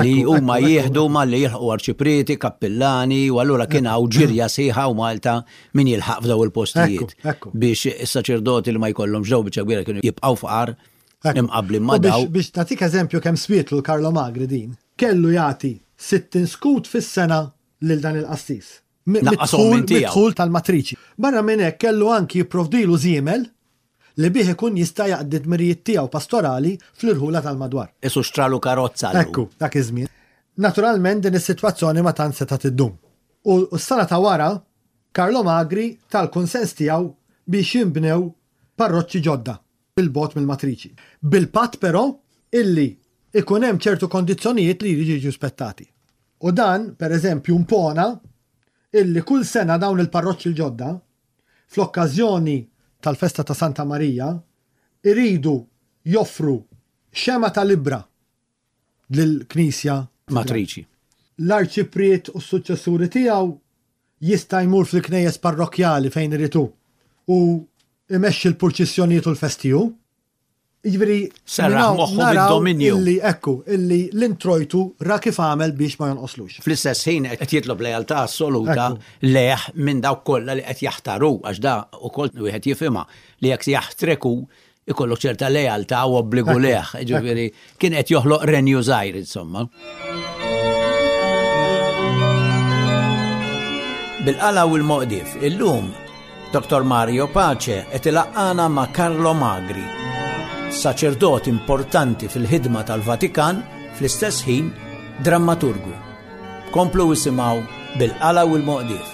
li Ekku, huma ekku, ekku. jieħdu malli jilħqu arċiprieti, kappillani, u allura kien hawn ġirja sħiħa u Malta min jilħaq f'daw il-postijiet. Ekku, ekku. Biex is-saċerdoti li ma jkollhomx daw biċċa kbira kienu jibqgħu fqar Ekku. imqablin ma U biex, daw. biex nagħtik eżempju kemm swietlu l-Carlo Magri din, kellu jagħti sittin skut fis-sena lil dan il-qassis. Mi- Naqqashom mid-dħul- minn tiegħu. Mid-dħul tal-matriċi. Barra minn hekk kellu anki jipprovdilu żiemel li bih ikun jista' jaqdi dmirijiet tiegħu pastorali fl-irħula tal-madwar. Isu xtralu karozza. llum. Ekku, dak iż-żmien. Naturalment din is-sitwazzjoni ma tant setgħet iddum. U s-sena ta' wara, Carlo Magri tal-kunsens tiegħu biex jinbnew parroċċi ġodda bil-bogħod mill-matriċi. Bil-patt però illi ikun hemm ċertu kondizzjonijiet li jridu jiġu rispettati. U dan, per eżempju, impona illi kull sena dawn il-parroċċi l-ġodda fl-okkażjoni tal-festa ta' Santa Marija iridu joffru xema ta' libra lill-Knisja Matriċi. L-arċipriet u s-suċċessuri tiegħu jista' jmur fil-knejjes parrokkjali fejn irid hu u imexxi l-purċissjonijiet u l-festi hu. Jiġifieri, Serraħ naraw- moħħu naraw bid-dominju. Illi, ekku, illi l-introjtu ra kif għamel biex ma jonqoslux. Fl-istess ħin qed jitlob lealtà assoluta Ekku. leħ minn dawk kollha li qed jaħtaru għax da ukoll wieħed jifhimha li jekk jaħtreku ikollok ċerta lealtà u obbligu Ekku, leħ. Ġifieri kien qed joħloq renju żgħir insomma. Bil-qala u l-moqdif, illum Doktor Mario Pace qed ilaqqana ma' Carlo Magri, saċerdot importanti fil-ħidma tal-Vatikan, fl-istess ħin drammaturgu. Komplu isimgħu bil-qala u l-moqdif.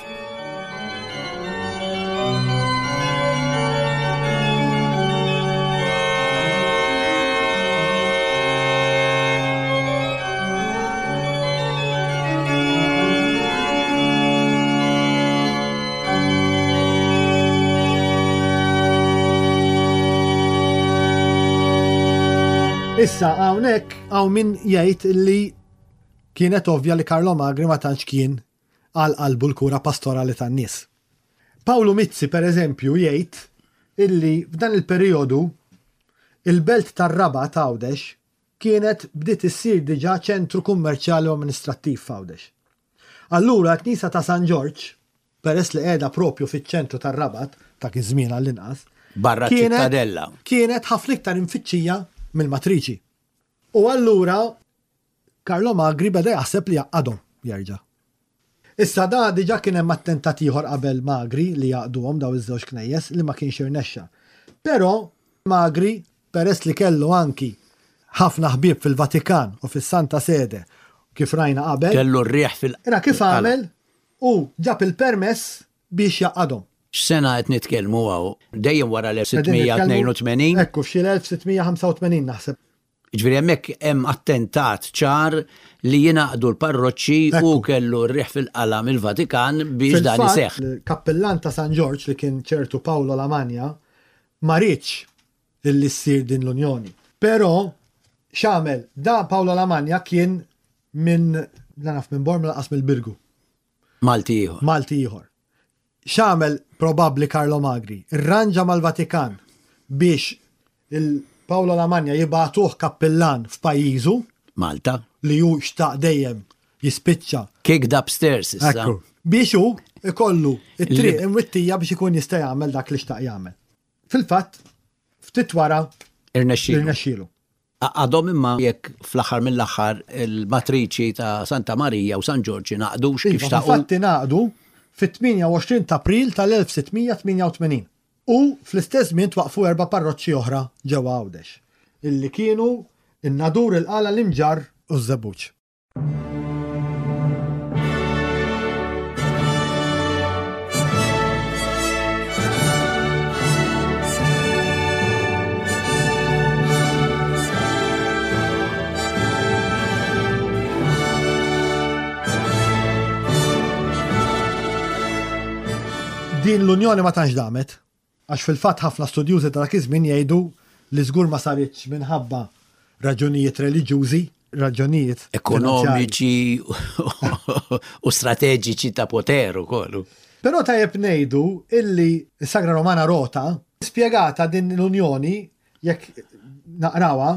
Issa hawnhekk hawn min jgħid li kienet ovvja li Carlo Magri ma tantx kien għal qalbu l-kura pastorali tan-nies. Paolo Mizzi, per eżempju, jgħid illi f'dan il-perjodu il-belt tar-Rabat Għawdex kienet bdiet issir diġà ċentru kummerċjali u amministrattiv f'Għawdex. Allura l-Knisja ta' San Ġorġ, peress li qiegħda propju fiċ-ċentru tar-Rabat, ta' iż-żmien għall-inqas, Barra kienet ċittadella. Kienet ħafna iktar imfittxija mill-matriċi. U allura Carlo Magri beda jaħseb li jaqadhom jerġa'. Issa da diġà kien hemm attentat ieħor qabel Magri li jaqduhom daw iż-żewġ knejjes li ma kienx irnexxa. Però Magri, peress li kellu anki ħafna ħbieb fil-Vatikan u fis-Santa Sede, kif rajna qabel. Kellu r-riħ fil- Ra kif għamel u ġab il-permess biex jaqadhom. X'sena qed nitkellmu hawn? Dejjem wara l-elf sitt mija tnejn u tmenin? Ekku, f'xi l-elf sitt mija ħamsa u tmenin naħseb. Ġifieri hemmhekk hemm attentat ċar li jingħaqdu l-parroċċi u Ekku. kellu r-riħ fil-qala mill-Vatikan biex dan Fil-fatt, iseħħ. Il-kappellan ta' San Ġorġ, li kien ċertu Paolo Lamagna, ma riedx illi ssir din l-unjoni. Però x'għamel, da Paolo Lamagna kien minn, la naf minn Bormla lanqas mill-Birgu, Malti ieħor. Malti ieħor. X'għamel probabbli Carlo Magri? Irranġa mal-Vatikan biex il-Paolo Lamagna jibagħtuh kappellan f'pajjiżu Malta. li hu xtaq dejjem jispiċċa. Kicked upstairs issa. Ekku. Biex hu ikollu it-triq Li- imwittija biex ikun jista' jagħmel dak li xtaq jagħmel. Fil-fatt, ftit wara Irnexxielu. irnexxielu. Għadhom imma jekk fl-aħħar mill-aħħar il-matriċi ta' Santa Marija u San Ġorġ ingħaqdux kif Iva, xtaqu. fil-fatt ingħaqdu fit-tmienja u għoxrin ta' April tal-elf sitt mija tmienja u tmenin. U fl-istess żmien twaqfu erba' parroċċi oħra ġewwa Għawdex, illi kienu in-Nadur, il-Qala, l-Imġarr u ż-Żebbuġ. Din l-unjoni ma tantx damet, għax fil-fatt ħafna studjużi ta' dak iż-żmien jgħidu li żgur ma saritx minħabba raġunijiet reliġjużi, raġunijiet finanzjarji. Ekonomiċi u strateġiċi ta' poter ukoll. Però tajjeb ngħidu illi s-Sagra Romana Rota spjegata din l-unjoni, jekk naqrawha,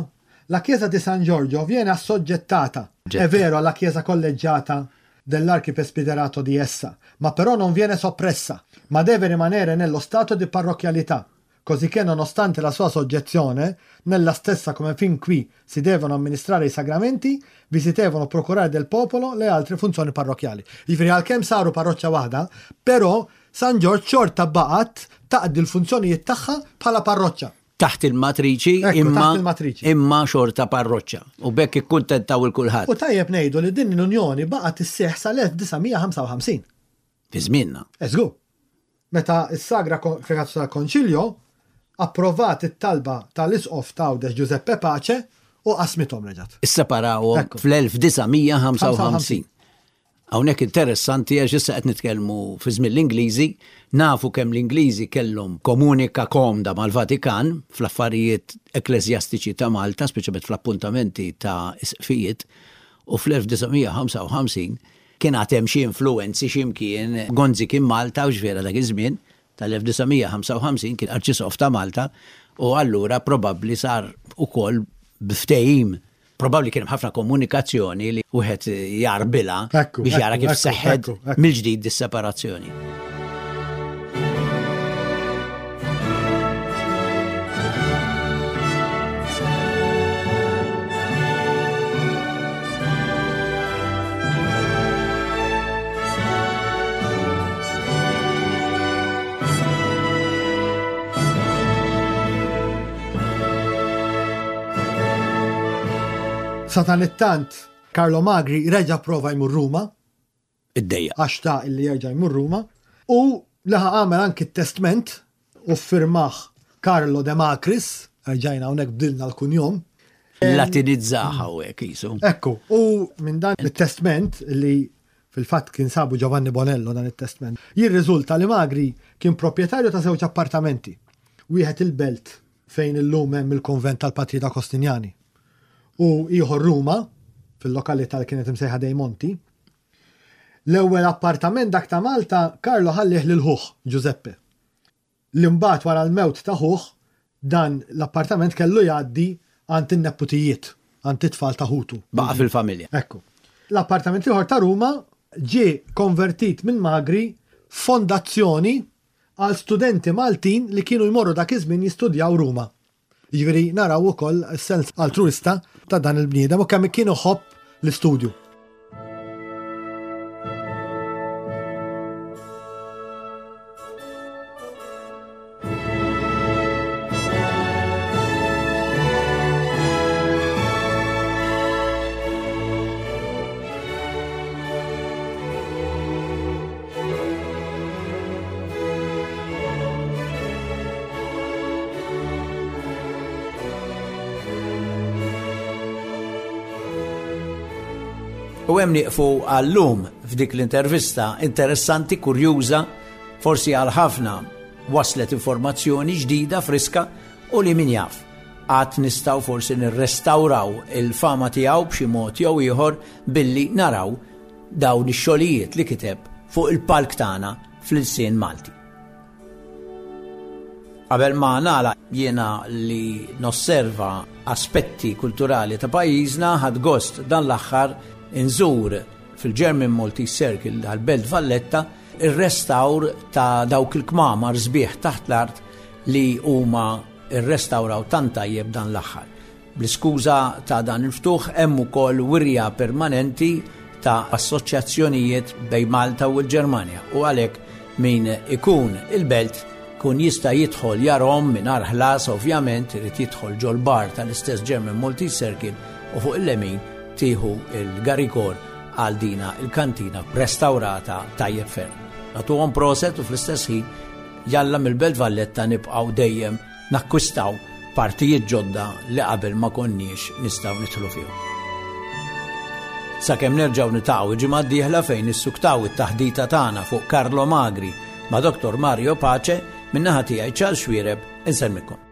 la Chiesa di San Giorgio viene assoggettata, è vero, alla Chiesa collegiata dell'archipresbiterato di essa, ma però non viene soppressa, ma deve rimanere nello stato di parrocchialità, cosicché nonostante la sua soggezione, nella stessa come fin qui si devono amministrare i sacramenti, vi si devono procurare del popolo le altre funzioni parrocchiali. Jiġifieri għalkemm saru parroċċa waħda, però San Ġorġ xorta baqgħet taqdi l-funzjonijiet tagħha bħala parroċċa. Taħt il-matriċi, Ekku, imma taħt il-matriċi. imma xorta parroċċa. U b'hekk ikkuntentaw 'il kulħadd. U tajjeb ngħidu li din l-unjoni baqgħet isseħħ sal-elf disa' mija ħamsa u ħamsin. Fi żmienna. Eżgu. Meta s-Sagra Kongregazzjoni tal-Konċiljo approvat it-talba tal-Isqof ta' Għawdex Giuseppe Pace u qasmithom reġgħet. Isseparawhom Ekku. fl-elf disa' mija ħamsa u ħamsin. Hawnhekk interessanti għax issa qed nitkellmu fi żmien l-Ingliżi, nafu kemm l-Ingliżi kellhom komunika komda mal-Vatikan fl-affarijiet ekklesjastiċi ta' Malta, speċjalment fl-appuntamenti ta' isqfijiet, u fl-elf disa' mija ħamsa u ħamsin kien għad hemm xi influenzi x'imkien. Gonzi kien Malta u ġvera dak iż-żmien tal-elf disa' mija ħamsa u ħamsin kien arċisqof ta' Malta u allura probabbli sar ukoll b'ftehim, probabbli kien hemm ħafna komunikazzjoni li wieħed jarbilha Ekku, biex jara ekku, kif ekku, seħħet ekku, ekku. mill-ġdid dis-separazzjoni. Sadanittant, Carlo Magri reġa prova jmur Ruma, Id-dejja. għax ta' illi jerġa' jmur Ruma, u laħa għamel anki testment u ffirmah Carlo de Macris, rġajna hawnhekk bdilna l-kunjom. Latinizzaha u hekk jisu. Ekku, u minn dan il-testment li fil-fatt kien sabu Giovanni Bonello dan il-testment, jirriżulta li Magri kien proprjetarju ta' żewġ appartamenti. Wieħed il-Belt, fejn illum hemm il-konvent tal-Patrijiet Agostinjani, u ieħor Ruma fil-lokalità li kienet imsejħa Dei Monti. L-ewwel appartament, dak ta' Malta, Carlo ħallih lil ħuh Giuseppe. L-imbagħad wara l-mewt ta' ħuh dan l-appartament kellu jgħaddi għand in-neputijiet, għand it-tfal ta' ħutu. Baqa fil-familja. Ekku. L-appartament ieħor ta' Ruma ġie konvertit minn Magri fondazzjoni għal studenti Maltin li kienu jmorru dak iż-żmien jistudjaw Ruma. Jiġifieri naraw ukoll sens altruista ta' dan il-bniedem u kemm kien iħobb l-istudju. U hemm nieqfu għallum f'dik l-intervista interessanti, kurjuża, forsi għal ħafna waslet informazzjoni ġdida, friska, u li min jaf għad nistgħu forsi nirrestawraw il-fama tiegħu b'xi mod jew ieħor billi naraw dawn ix-xogħlijiet li kiteb fuq il-palk tagħna fl-ilsien Malti. Qabel ma nagħlaq, jiena li nosserva aspetti kulturali ta' pajjiżna, ħadt gost dan l-aħħar inżur fil-German Maltese Circle għal-Belt Valletta ir-restawr ta' dawk il-kmamar sbieħ taħt l-art li huma irrestawraw tant tajjeb dan l-aħħar. Bl-iskuża ta' dan il-ftuħ hemm ukoll wirja permanenti ta' assoċjazzjonijiet bejn Malta u l-Ġermanja u għalhekk min ikun il-Belt kun jista' jidħol jarahom mingħajr ħlas. Ovvjament irid jidħol ġol-bar tal-istess German Maltese Circle u fuq il-lemin tieħu il-garigor għal dina il-kantina restaurata tajjeb ferm. Nagħtuhom proset u fl-istess ħin jalla mill-Belt Valletta nibqgħu dejjem nakkwistaw partijiet ġodda li qabel ma konniex nistgħu nidħlu fihom. Sakemm nerġgħu niltaqgħu ġimgħa d-dieħla fejn nissuktaw it-taħdita tagħna fuq Carlo Magri ma' Doktor Mario Pace, min-naħa tiegħi Charles Xuereb, insellmilkom.